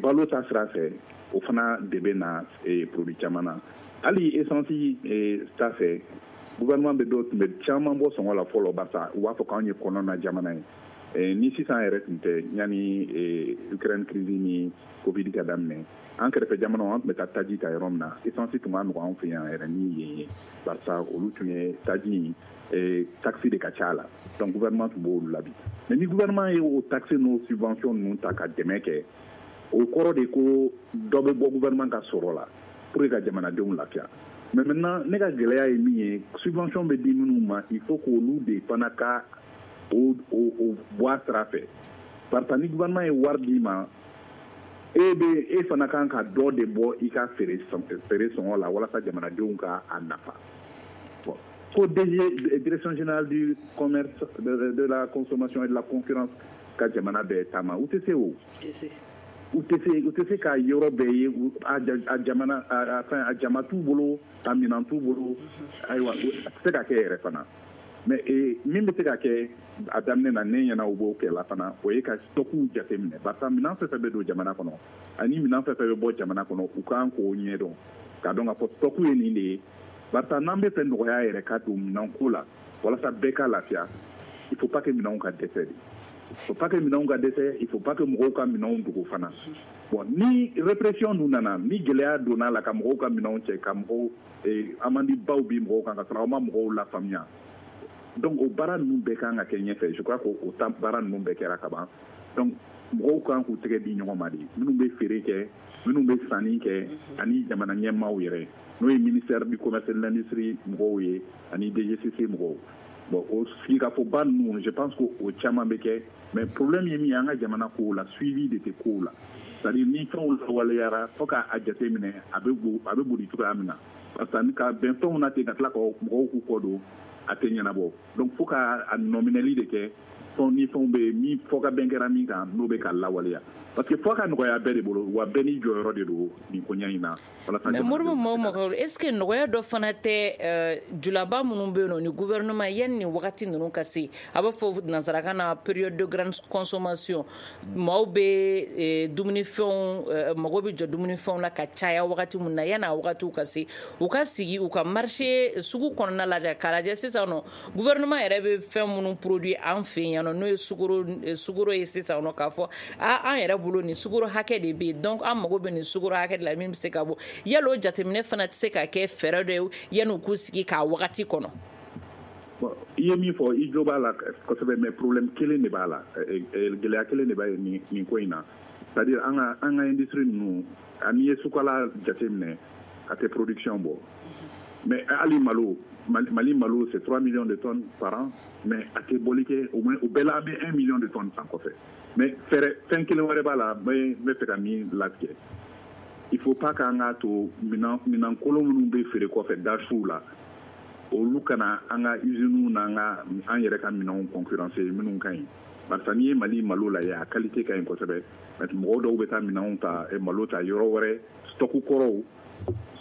balo ta sira fɛ, o fana de bɛ na produit caman na. Hali essence ta fɛ, gouvernement bɛ dɔw tun bɛ caman bɔ sɔngɔ la fɔlɔ, barisa u b'a fɔ k'anw ye kɔnɔna jamana ye. Ni sisan yɛrɛ tun tɛ, yanni Ukraine crise ni Covid ka daminɛ, an kɛrɛfɛ jamanaw, an tun bɛ taa taji ta yɔrɔ min na, essence tun ka nɔgɔn anw fɛ yan yɛrɛ ni yen ye, barisa olu tun ye taji in taxe de ka ca la. Donc gouvernement tun b'olu labi. Mais ni gouvernement ye o taxe n'o subvention ninnu ta ka dɛmɛ kɛ, o kɔrɔ de ko dɔ bɛ bɔ gouvernement ka sɔrɔ la pour que ka jamanadenw lafiya. Mais maintenant, ne ka gɛlɛya ye min ye, subvention bɛ di minnu ma, il faut k'olu de fana ka o o o bɔ a sira fɛ, barisa ni gouvernement ye wari d'i ma, e bɛ e fana kan ka dɔ de bɔ i ka feere feere sɔngɔ la walasa jamanadenw ka a nafa. Bon, ko D G, Direction générale du commerce, de, de la consommation et de la concurrence ka jamana bɛɛ taama, u tɛ se o u tɛ se u tɛ se ka yɔrɔ bɛɛ ye. A jamana a fɛn, a jama t'u bolo, a minɛn t'u bolo. Ayiwa, a tɛ se ka kɛ yɛrɛ fana. Mais min bɛ se ka kɛ a daminɛ na, ne ɲɛna u b'o kɛ la fana, o ye ka stockiw jateminɛ, barisa minɛn fɛn fɛn bɛ don jamana kɔnɔ ani minɛn fɛn fɛn bɛ bɔ jamana kɔnɔ, u kan k'o ɲɛdɔn k'a dɔn k'a fɔ stock ye nin de ye. Barisa n'an bɛ fɛ nɔgɔya yɛrɛ ka don minɛnko la walasa bɛɛ ka lafiya, il faut pas que minɛnw ka dɛsɛ de, il faut pas que minɛnw ka dɛsɛ, il faut pas que mɔgɔw ka minɛnw dogo fana. Bon, ni répression dun nana, ni gɛlɛya donna la ka mɔgɔw ka minɛnw cɛ, ka mɔgɔw amende baw bi mɔgɔw kan ka sɔrɔ aw ma mɔgɔw lafaamuya. Donc o baara ninnu bɛɛ kan ka kɛ ɲɛfɛ. Je crois que o ta baara ninnu bɛɛ kɛra ka ban. Donc mɔgɔw kan k'u tɛgɛ di ɲɔgɔn ma de, minnu bɛ feere kɛ, minnu bɛ sanni kɛ, ani jamana ɲɛmaaw yɛrɛ, n'o ye ministère du Commerce et de l'Industrie mɔgɔw ye ani D G C C mɔgɔw. Bon, o sigikafɔba ninnu, je pense que o caman bɛ kɛ. Mais problème ye min ye an ka jamana kow la, suivi de tɛ kow la. C'est à dire ni fɛnw lawaleyara, fo k'a jateminɛ a bɛ a bɛ boli cogoya min na, parce que ka bɛn fɛnw na ten ka tila ka mɔgɔw k'u kɔ don, a tɛ ɲɛnabɔ. Donc fo ka a nɔminɛli de kɛ, fɛnw ni fɛnw bɛ yen min fɔ ka bɛn kɛra min kan, n'o bɛ ka lawaleya, parce que fo ka nɔgɔya bɛɛ de bolo, wa bɛɛ n'i jɔyɔrɔ de don nin koɲɛ in na. Walasa mais Moribo Mao Makalo, est ce que nɔgɔya dɔ fana tɛ julaba minnu bɛ yen nɔ ni gouvernement yanni nin wagati ninnu ka se, a b'a fɔ nansarakan na période de grande consommation, maaw bɛ dumunifɛnw, mago bɛ jɔ dumunifɛnw na ka caya wagati min na, yanni a wagatiw ka se, u ka sigi u ka marché sugu kɔnɔna lajɛ k'a lajɛ sisan nɔ gouvernement yɛrɛ bɛ fɛn minnu produit an fɛ yen nɔ, n'o ye sukaro sukaro ye sisan nɔ, k'a fɔ a an yɛrɛ bolo nin sukaro hakɛ de bɛ yen, donc an mago bɛ nin sukaro hakɛ de la min bɛ se ka bɔ. Yala o jateminɛ fana tɛ se ka kɛ fɛɛrɛ dɔ ye yanni u k'u sigi k'a wagati kɔnɔ? Bon, i ye min fɔ, i jo b'a la kosɛbɛ, mais problème kelen de b'a la, gɛlɛya kelen de b'a nin nin ko in na. C'est à dire an ka an ka industrie ninnu, n'i ye sukala jateminɛ, a tɛ production bɔ. Mais hali malo, Mali malo, c'est trois millions de tonnes par an, mais a tɛ bɔli kɛ. Au moins o bɛɛ la, an bɛ un million de tonnes san kɔfɛ. Mais fɛɛrɛ fɛn kelen wɛrɛ b'a la, n bɛ n bɛ fɛ ka min latigɛ, il faut pas k'an k'a to minɛn minɛn kolon minnu bɛ feere kɔfɛ dasiw la. Olu kana an ka usines n'an ka an yɛrɛ ka minɛnw concurrencer minnu ka ɲi. Barisa n'i ye Mali malo lajɛ, a qualité ka ɲi kosɛbɛ. Mais mɔgɔw dɔw bɛ taa minɛnw ta, malo ta yɔrɔ wɛrɛ, stock kɔrɔw,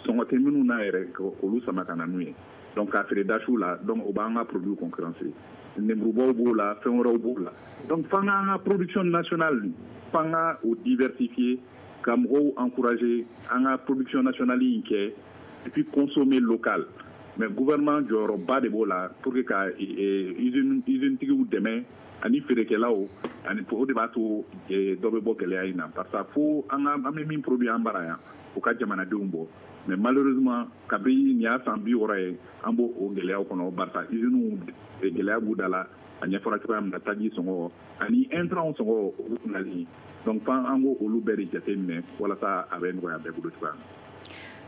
sɔngɔ tɛ minnu na yɛrɛ, olu sama ka na n'u ye. Donc k'a feere dasiw la, donc o b'an ka produit concurrencer. Nemurubaw b'o la, fɛn wɛrɛw b'o la. Donc f'an k'an ka production nationale, f'an ka o diversifier, ka mɔgɔw encourager an ka production nationale in kɛ, et puis consommer local. Mais gouvernement jɔyɔrɔba de b'o la pour que ka usine usine tigiw dɛmɛ ani feerekɛlaw, ani o de b'a to dɔ bɛ bɔ gɛlɛya in na. Parce que fo an ka an bɛ min produit an bara yan, o ka jamanadenw bɔ. Mais malheureusement, kabini nin y'a san bi wɔɔrɔ ye, an b'o o gɛlɛyaw kɔnɔ. Barisa usines gɛlɛya b'u da la, a ɲɛfɔra cogoya min na, taji sɔngɔ ani intrants sɔngɔ olu nali. Donc f'an an k'o olu bɛɛ de jateminɛ walasa a bɛ nɔgɔya bɛɛ bolo cogoya min na.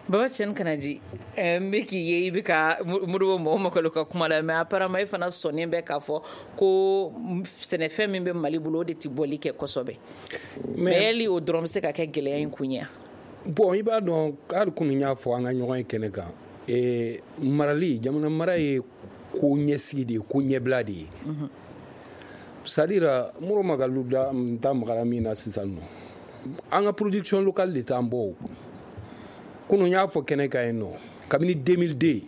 Baba Tiɲɛ Kanaji, n bɛ k'i ye i bɛ ka Modibo mɔgɔ Makalo ka kuma la, mais apparemment e fana sɔnnen bɛ k'a fɔ ko sɛnɛfɛn min bɛ Mali bolo, o de tɛ bɔli kɛ kosɛbɛ. Mais yali o dɔrɔn bɛ se ka kɛ gɛlɛya in kun ye? Bon, i b'a dɔn, hali kunun n y'a fɔ an ka ɲɔgɔn ye kɛnɛ kan, ee marali, jamana mara ye ko ɲɛsigi de ye, ko ɲɛbila de ye. C'est à dire, Modibo Makalo da n ta magara min na sisan nɔ, an ka production locale de t'an bɔ o. Kunun y'a fɔ kɛnɛ kan yen nɔ, kabini deux mille deux,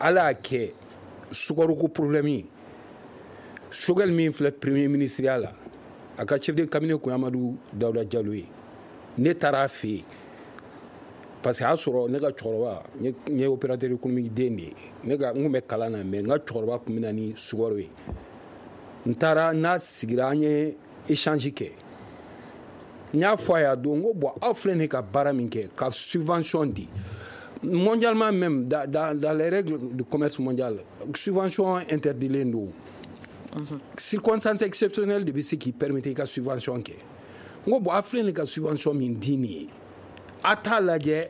Ala y'a kɛ sukaroko problème ye. Choguel min filɛ premier ministre ya la, a ka chef de cabinet kun ye Amadu Dawuda Jalo ye. Ne taara a fɛ yen parce que a y'a sɔrɔ ne ka cɛkɔrɔba, n ye opérateur économique den de ye, ne ka n kun bɛ kalan na, mais n ka cɛkɔrɔba kun bɛ na ni sukaro ye. N taara n'a sigira, an ye échange kɛ. N y'a fɔ a ye a don, n ko bon, aw filɛ nin ka baara min kɛ, ka subvention di mondialement même, dans, dans, dans les règles du commerce mondial, subvention interdilen don. Circonstance exceptionnelle de bɛ se k'i permettre i ka subvention kɛ. N ko bon, aw filɛ nin ka subvention min di nin ye, a t'a lajɛ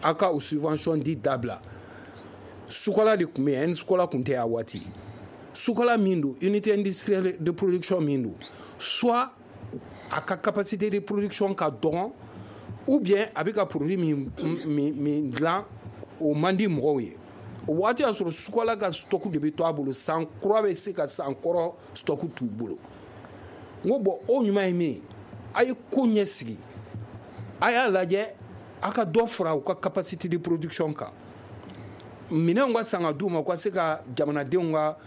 a ka o subvention di dabila. Sukola de tun bɛ yen, Sukola tun tɛ a waati. Sukola min don, unité industrielle de production min don, soit a ka capacité de production ka dɔgɔn, ou bien a bɛ ka produit min min min dilan, o man di mɔgɔw ye. O waati y'a sɔrɔ Sukola ka stock de bɛ to a bolo, san kura bɛ se ka san kɔrɔ stock t'u bolo. N ko bon, o ɲuman ye min ye, a ye ko ɲɛsigi, a y'a lajɛ a ka dɔ fara u ka capacité de production kan, minɛnw ka san ka d'u ma, u ka se ka jamanadenw ka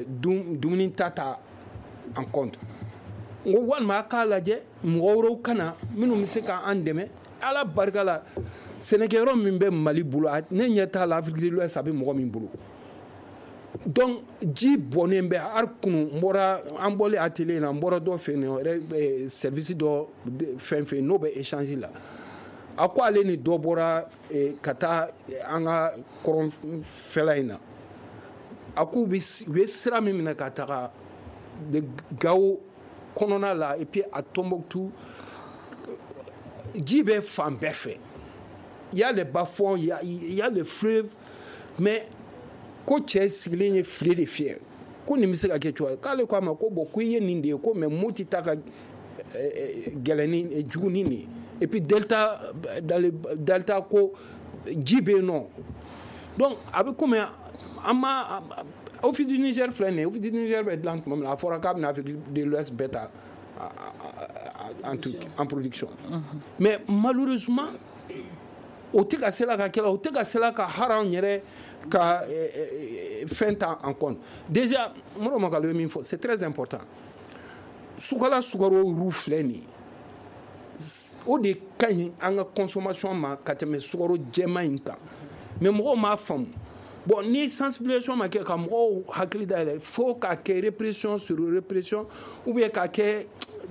dumuni ta ta en compte. N ko walima a k'a lajɛ mɔgɔ wɛrɛw ka na minnu bɛ se k'an dɛmɛ. Ala barika la, sɛnɛkɛyɔrɔ min bɛ Mali bolo, ne ɲɛ t'a la Afrique de l'Ouest a bɛ mɔgɔ min bolo. Donc ji bɔnnen bɛ. Hali kunun n bɔra, an bɔlen atelier la, n bɔra dɔ fɛ yen nɔ, service dɔ fɛn fɛn n'o bɛ échange la, a ko ale ni dɔ bɔra ka taa an ka kɔrɔnfɛla in na, a k'u bɛ u ye sira min minɛ ka taga de Gao kɔnɔna la, et puis à Tombouctou, ji bɛ fan bɛɛ fɛ. Il y a les bas-fonds, il y a, il y a les fleuves, mais ko cɛ sigilen ye file de fiyɛ, ko nin bɛ se ka kɛ cogo di? K'ale ko a ma ko bon, ko i ye nin de ye, ko mais Moti ta ka gɛlɛn ni jugu ni nin ye. Et puis delta, dans le delta, ko ji bɛ yen nɔ. Donc a bɛ komi an ma Office du Niger filɛ nin ye, Office du Niger bɛ dilan tuma min na, a fɔra k'a bɛna Afrique de l'Ouest bɛɛ ta en truc en production. Mais malheureusement o tɛ ka se la ka kɛ la, o tɛ ka se la ka hali anw yɛrɛ ka fɛn ta en compte. Déjà, Modibo Makalo ye min fɔ, c'est très important. Sukala sukaro ru filɛ nin ye, o de ka ɲi an ka consommation ma ka tɛmɛ sukaro jɛman in kan. Mais mɔgɔw m'a faamu. Bon, ni sensibilisation ma kɛ ka mɔgɔw hakili dayɛlɛ, fo k'a kɛ répression sur répression, ou bien k'a kɛ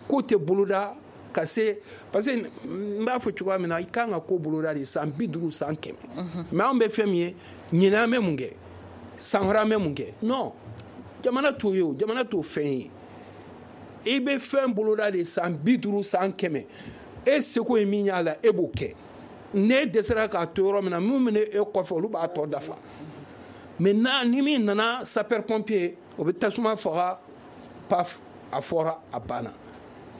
ko tɛ boloda ka se, parce que n b'a fɔ cogoya min na, i kan ka ko boloda de san bi duuru, san kɛmɛ. Mais anw bɛ fɛn min ye, ɲinɛ an bɛ mun kɛ, san wɛrɛ an bɛ mun kɛ? Non, jamana t'o ye o, jamana t'o fɛn ye. I bɛ fɛn boloda de san bi duuru, san kɛmɛ, e seko ye min y'a la, e b'o kɛ. N'e dɛsɛra k'a to yɔrɔ min na, min bɛ e kɔfɛ, olu b'a tɔ dafa. Maintenant, ni min nana sapeur pompier, o bɛ tasuma faga, paf, a fɔra, a banna.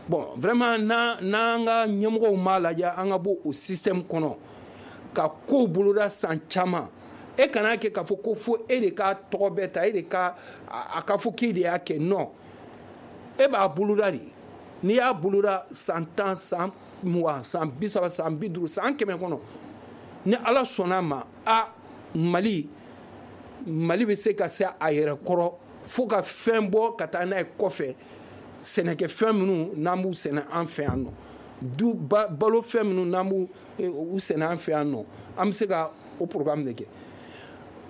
Bon, vraiment, n'an ka ɲɛmɔgɔw m'a lajɛ, an ka bɔ o système kɔnɔ ka kow boloda san caman. E kana kɛ k'a fɔ ko fo e de ka tɔgɔ bɛɛ ta, e de ka a ka fɔ k'e de y'a kɛ. Non, e b'a boloda de. N'i y'a boloda san tan, san mugan, san bi saba, san bi duuru, san kɛmɛ kɔnɔ, ni Ala sɔnna a ma, a Mali Mali bɛ se ka se a yɛrɛ kɔrɔ fo ka fɛn bɔ ka taa n'a ye kɔfɛ. Sɛnɛkɛfɛn minnu n'an b'u sɛnɛ an fɛ yan nɔ, du balo fɛn minnu n'an b'u u sɛnɛ an fɛ yan nɔ, an bɛ se ka o programme de kɛ.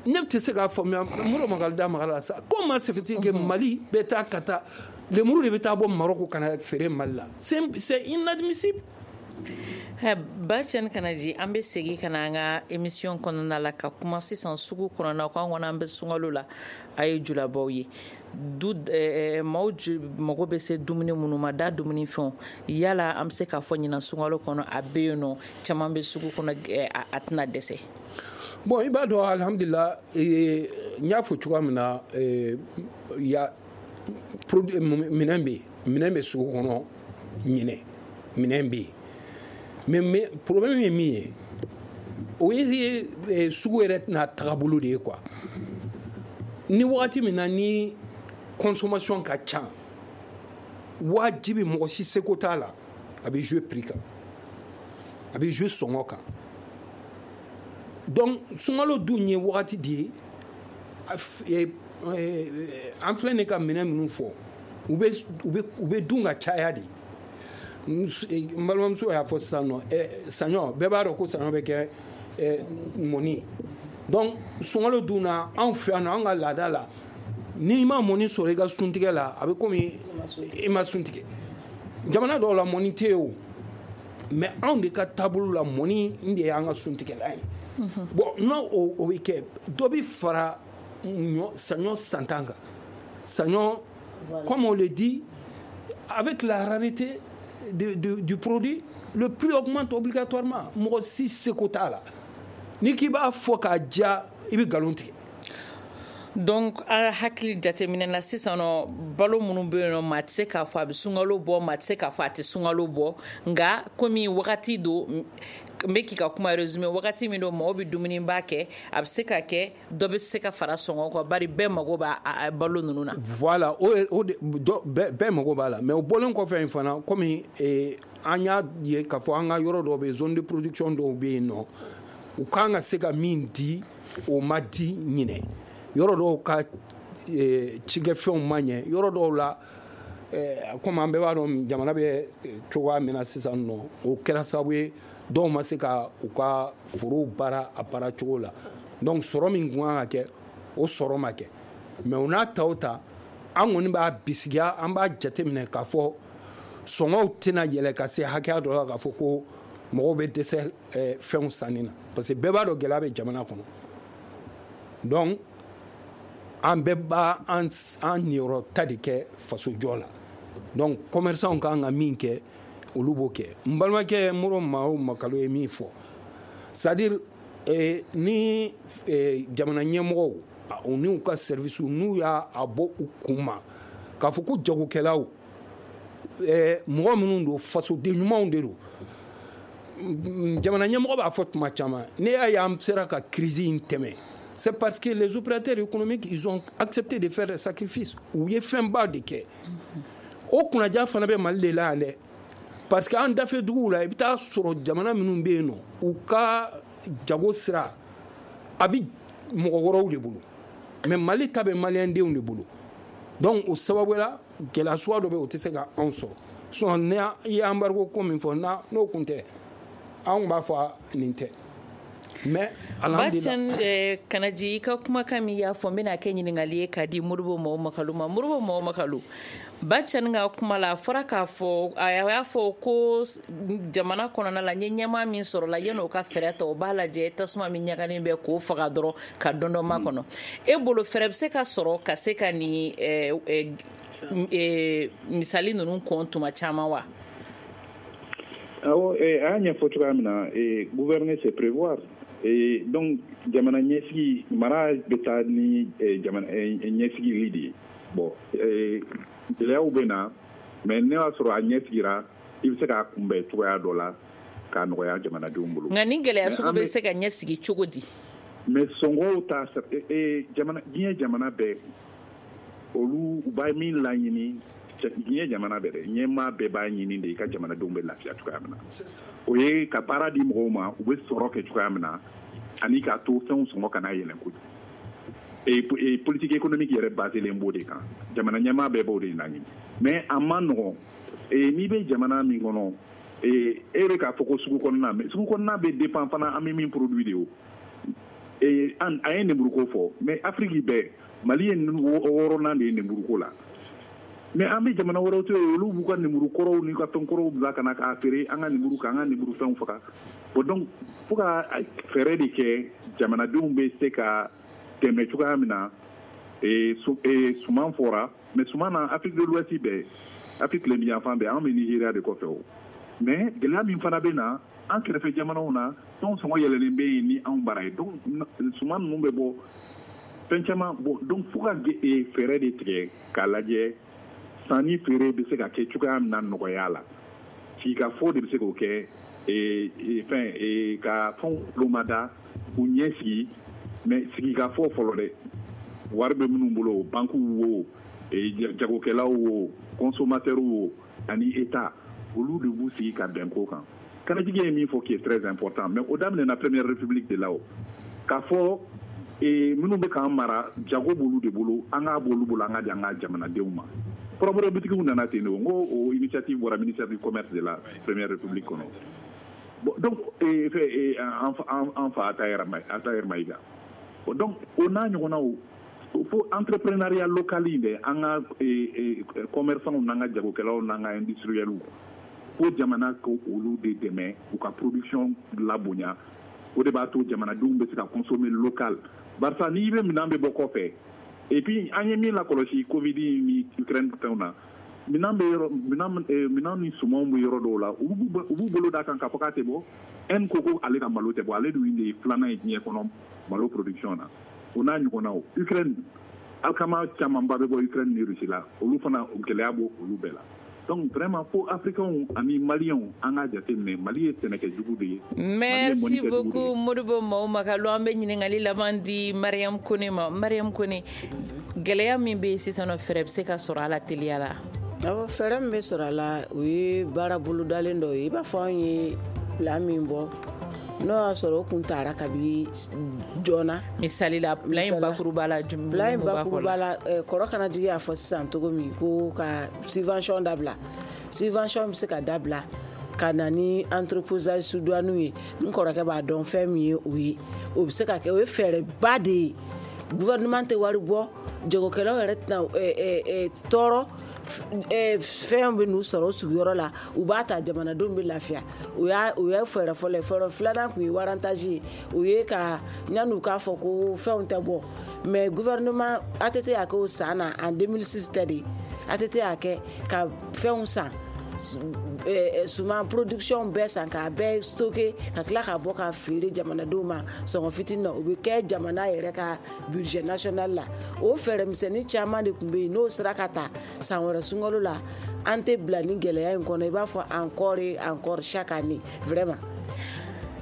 Ne tɛ se k'a faamuya, Modibo Makalou da magara la sa. Comment se fait-il que Mali bɛ taa ka taa lemuru de bɛ taa bɔ Maroc ka na feere Mali la? C'est c'est inadmissible. Bacɛni Kanaji, an bɛ segin ka na an ka émission kɔnɔna la ka kuma sisan sugu kɔnɔna ko an kɔni an bɛ sunkalo la, a ye julabaw ye du maaw mago bɛ se dumuni minnu ma, da dumunifɛnw, yala an bɛ se k'a fɔ ɲinan sunkalo kɔnɔ a bɛ yen nɔ, caman bɛ sugu kɔnɔ, a tɛna dɛsɛ? Bon, i b'a dɔn, alhamdulillah, n y'a fɔ cogoya min na, ya minɛn bɛ yen, minɛn bɛ sugu kɔnɔ ɲinɛ, minɛn bɛ yen. Mais, mais problème ye min ye, o ye sugu yɛrɛ tɛna tagabolo de ye quoi. Ni wagati min na ni consommation ka ca, wajibi mɔgɔ si seko t'a la, a bɛ jouer prix kan, a bɛ jouer sɔngɔ kan. Donc sunkalo dun ye wagati de ye, an filɛ nin ka minɛn minnu fɔ, u bɛ u bɛ u bɛ dun ka caya de. N balimamuso y'a fɔ sisan nɔ, saɲɔ, bɛɛ b'a dɔn ko saɲɔ bɛ kɛ mɔni. Donc sunkalo dun na, anw fɛ yan nɔ, an ka laada la, n'i ma mɔni sɔrɔ i ka suntigɛ la, a bɛ komi i ma suntigɛ. Jamana dɔw la mɔni tɛ yen o, mais anw de ka taabolo la, mɔni de y'an ka suntigɛla ye. Bon, n'o o bɛ kɛ, dɔ bɛ fara ɲɔ saɲɔ santan kan. Saɲɔ, comme on le dit, avec la rareté De, de, du produit, le prix augmente obligatoirement. Mɔgɔ si seko t'a la. N'i k'i b'a fɔ k'a diya, i bɛ nkalon tigɛ. Donc a hakili jateminɛ na sisan nɔ, balo minnu bɛ yen nɔ, maa tɛ se k'a fɔ a bɛ sunkalo bɔ, maa tɛ se k'a fɔ a tɛ sunkalo bɔ, nka komi wagati don, n bɛ k'i ka kuma résumé, wagati min don mɔgɔw bɛ dumuniba kɛ, a bɛ se ka kɛ dɔ bɛ se ka fara sɔngɔ kan, bari bɛɛ mago b'a balo ninnu na. Voilà, o o de bɛɛ mago b'a la. Mais o bɔlen kɔfɛ in fana, komi an y'a ye k'a fɔ an ka yɔrɔ dɔw bɛ yen, zone de production dɔw bɛ yen nɔ, u kan ka se ka min di, o ma di ɲinɛ. Yɔrɔ dɔw ka cikɛfɛnw ma ɲɛ, yɔrɔ dɔw la, komi an bɛɛ b'a dɔn jamana bɛ cogoya min na sisan nɔ, o kɛra sababu ye dɔw ma se ka u ka forow baara a baara cogo la. Donc sɔrɔ min kun kan ka kɛ, o sɔrɔ ma kɛ. Mais o n'a ta o ta, an kɔni b'a bisigiya, an b'a jateminɛ k'a fɔ sɔngɔw tɛna yɛlɛ ka se hakɛya dɔ la k'a fɔ ko mɔgɔw bɛ dɛsɛ fɛnw sanni na, parce que bɛɛ b'a dɔn gɛlɛya bɛ jamana kɔnɔ. Donc an bɛɛ b'a an niyɔrɔ ta de kɛ fasojɔ la. Donc commerçants kan ka min kɛ, olu b'o kɛ. N balimakɛ Modibo Mao Makalou ye min fɔ, c'est à dire eh, ni eh, jamana ɲɛmɔgɔw u n'u ka service n'u y'a bɔ u kun ma k'a fɔ ko jagokɛlaw, eh, mɔgɔ minnu don, fasoden ɲumanw de don. Jamana ɲɛmɔgɔ b'a fɔ tuma caman, ne y'a ye an sera ka crise in tɛmɛ, c'est parce que les opérateurs économiques, ils ont accepté de faire des sacrifices. U ye fɛnba de kɛ. O kunnaja fana bɛ Mali de la yan dɛ, parce que an dafɛ duguw la, i bɛ taa sɔrɔ jamana minnu bɛ yen nɔ, u ka jago sira a bɛ mɔgɔ wɛrɛw de bolo, mais Mali ta bɛ maliyɛndenw de bolo. Donc o sababu la, gɛlɛya suguya dɔ bɛ yen, o tɛ se ka anw sɔrɔ. Sinon ni i ye embargo ko min fɔ, n'o kun tɛ, anw b'a fɔ nin tɛ. Mais Bacɛni Kanaji, i ka kumakan min y'a fɔ, n bɛna kɛ ɲininkali ye k'a di Modibo Mao Makalou ma. Modibo Mao Makalou, Bacɛni ka kuma la, a fɔra k'a fɔ, a y'a fɔ ko jamana kɔnɔna la, n ye ɲɛmaa min sɔrɔ la, yan'o ka fɛɛrɛ ta, o b'a lajɛ tasuma min ɲagalen bɛ k'o faga dɔrɔn ka dɔn dɔ makɔnɔ. E bolo, fɛɛrɛ bɛ se ka sɔrɔ ka se ka nin misali ninnu kɔn tuma caman wa? Awɔ, a y'a ɲɛfɔ cogoya min na, gouverner c'est prévoir. Et donc jamana ɲɛsigi, mara bɛ taa ni jamana ɲɛsigili de ye. Bon, gɛlɛyaw bɛ na, mais ne y'a sɔrɔ a ɲɛsigira, i bɛ se k'a kunbɛn cogoya dɔ la k'a nɔgɔya jamanadenw bolo. Nka ni gɛlɛya sugu bɛ se ka ɲɛsigi cogo di? Mais sɔngɔw ta jamana diɲɛ jamana bɛɛ olu u b'a min laɲini diɲɛ jamana bɛɛ dɛ ɲɛmaa bɛɛ b'a ɲini de i ka jamanadenw bɛ lafiya cogoya min na o ye ka baara di mɔgɔw ma u bɛ sɔrɔ kɛ cogoya min na ani k'a to fɛnw sɔngɔ kana yɛlɛn kojugu et politique économique yɛrɛ baselen b'o de kan jamana ɲɛmaa bɛɛ b'o de laɲini mais a ma nɔgɔn n'i bɛ jamana min kɔnɔ e bɛ k'a fɔ ko sugu kɔnɔna mais sugu kɔnɔna bɛ dépend fana an bɛ min produit de o an a ye nemuruko fɔ mais Afrique bɛɛ Mali ye wɔɔrɔnan de ye nemuruko la mais an bɛ jamana wɛrɛw to yen olu b'u ka nemuru kɔrɔw n'u ka fɛn kɔrɔw bila ka na k'a feere an ka nemuru kan an ka nemuru fɛnw faga bon donc fo ka fɛɛrɛ de kɛ jamanadenw bɛ se ka dɛmɛ cogoya min na suman fɔra mais suman na Afrique de l'Ouest bɛɛ Afrique tilebinyanfan bɛɛ an bɛ Nigéria de kɔfɛ o mais gɛlɛya min fana bɛ na an kɛrɛfɛ jamanaw na fɛnw sɔngɔ yɛlɛlen bɛ yen ni anw bara ye donc suman ninnu bɛ bɔ fɛn caman bon donc fo ka fɛɛrɛ de tigɛ k'a lajɛ sanni feere bɛ se ka kɛ cogoya min na nɔgɔya la sigikafɔ de bɛ se k'o kɛ fɛn ka fɛnw lomada k'u ɲɛ sigi mais sigikafɔ fɔlɔ dɛ wari bɛ minnu bolo banques wo jagokɛlaw wo consommateurs wo ani État olu de b'u sigi ka bɛn ko kan Kanajigi ye min fɔ qui est très important mais o daminɛna Première République de la o k'a fɔ minnu bɛ k'an mara jago b'olu de bolo an k'a b'olu bolo an ka di an ka jamanadenw ma kɔrɔbɔrɔ bitigiw nana ten de o n ko o initiative bɔra ministère du commerce de la Première République kɔnɔ bon donc an fa Atahir Maïga bon donc o n'a ɲɔgɔnnaw fo entrepreneuriat local in dɛ an ka commerçants n'an ka jagokɛlaw n'an ka industriels fo jamana ko olu de dɛmɛ u ka production labonya o de b'a to jamanadenw bɛ se ka consommer local barisa n'i bɛ minɛn bɛ bɔ kɔfɛ et puis an ye min lakɔlɔsi Covid ni Ukraine fɛnw na minɛn bɛ yɔrɔ minɛn minɛn ni sumanw bɛ yɔrɔ dɔw la u b'u bolo d'a kan k'a fɔ k'a tɛ bɔ Inde ko ko ale ka malo tɛ bɔ ale dun de ye filanan ye diɲɛ kɔnɔ malo production na o n'a ɲɔgɔnnaw Ukraine alikama camanba bɛ bɔ Ukraine ni Russie la olu fana gɛlɛya b'o olu bɛɛ la donc vraiment fo africains ani maliens an k'a jateminɛ Mali ye sɛnɛkɛjugu de ye. Merci beaucoup Modibo Mao Makalo an bɛ ɲininkali laban di Mariam Kone ma. Mariam Kone, gɛlɛya min bɛ yen sisan nɔ fɛɛrɛ bɛ se ka sɔrɔ a la teliya la? Awɔ, fɛɛrɛ min bɛ sɔrɔ a la o ye baara bolodalen dɔ ye i b'a fɔ anw ye plan min bɔ n'o y'a sɔrɔ o kun taara kabi joona. Misali la plan in bakuruba la jumɛn plan in bakuruba la kɔrɔ Kanajigi y'a fɔ sisan cogo min ko ka subvention dabila subvention bɛ se ka dabila ka na ni entreposage sous-douane ye n kɔrɔkɛ b'a dɔn fɛn min ye o ye o bɛ se ka kɛ o ye fɛɛrɛba de ye gouvernement tɛ wari bɔ jagokɛlaw yɛrɛ tɛna tɔɔrɔ fɛn bɛ n'u sɔrɔ o sigiyɔrɔ la u b'a ta jamanadenw bɛ lafiya o y'a o ye fɛɛrɛ fɔlɔ ye fɛɛrɛ filanan tun ye warantaji ye o ye ka yan'u k'a fɔ ko fɛnw tɛ bɔ mais gouvernement A T T y'a kɛ o san na en deux mille six tɛ de A T T y'a kɛ ka fɛnw san suman production bɛɛ san k'a bɛɛ stocké ka tila k'a bɔ k'a feere jamanadenw ma sɔngɔ fitinin na o bɛ kɛ jamana yɛrɛ ka budget national la o fɛɛrɛ misɛnnin caman de tun bɛ yen n'o sera ka ta san wɛrɛ sunkalo la an tɛ bila ni gɛlɛya in kɔnɔ i b'a fɔ encore et encore chaque année vraiment.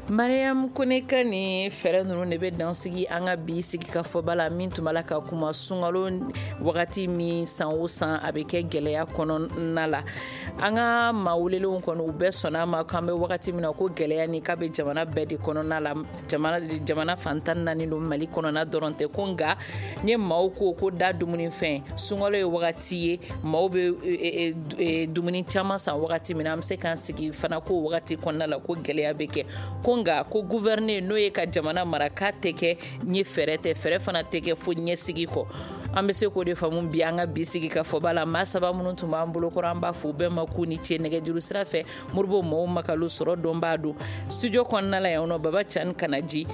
Mariam Kone ka ni fɛɛrɛ ninnu de bɛ dan sigi an ka bi sigikafɔba la min tun b'a la ka kuma sunkalo wagati min san o san a bɛ kɛ gɛlɛya kɔnɔna la an ka maa welelenw kɔni u bɛɛ sɔnna a ma k'an bɛ wagati min na ko gɛlɛya ni k'a bɛ jamana bɛɛ de kɔnɔna la jamana jamana fan tan naani don Mali kɔnɔna dɔrɔn tɛ ko nka n ye maaw ko ko da dumunifɛn sunkalo ye wagati ye maaw bɛ dumuni caman san wagati min na an bɛ se k'an sigi fana ko wagati kɔnɔna la ko gɛlɛya bɛ kɛ ko nka ko gouverner n'o ye ka jamana mara k'a tɛ kɛ ɲɛ fɛɛrɛ tɛ fɛɛrɛ fana tɛ kɛ fo ɲɛsigi kɔ an bɛ se k'o de faamu bi an ka bi sigi ka fɔba la maa saba minnu tun b'an bolo kɔrɔ an b'a fɔ u bɛɛ ma k'u ni ce nɛgɛjuru sira fɛ Modibo Mao Makalo sɔrɔ dɔn b'a don studio kɔnɔna la yan nɔ Baba Cani Kanaji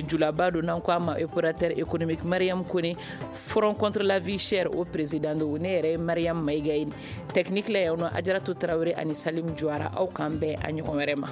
julaba don n'an ko a ma opérateur économique Mariam Kone Front contre la vie chère o président don ne yɛrɛ ye Mariam Maïga ye technique la yan nɔ Ajaratu Tarawele ani Salim Juwara aw k'an bɛn a ɲɔgɔn wɛrɛ ma.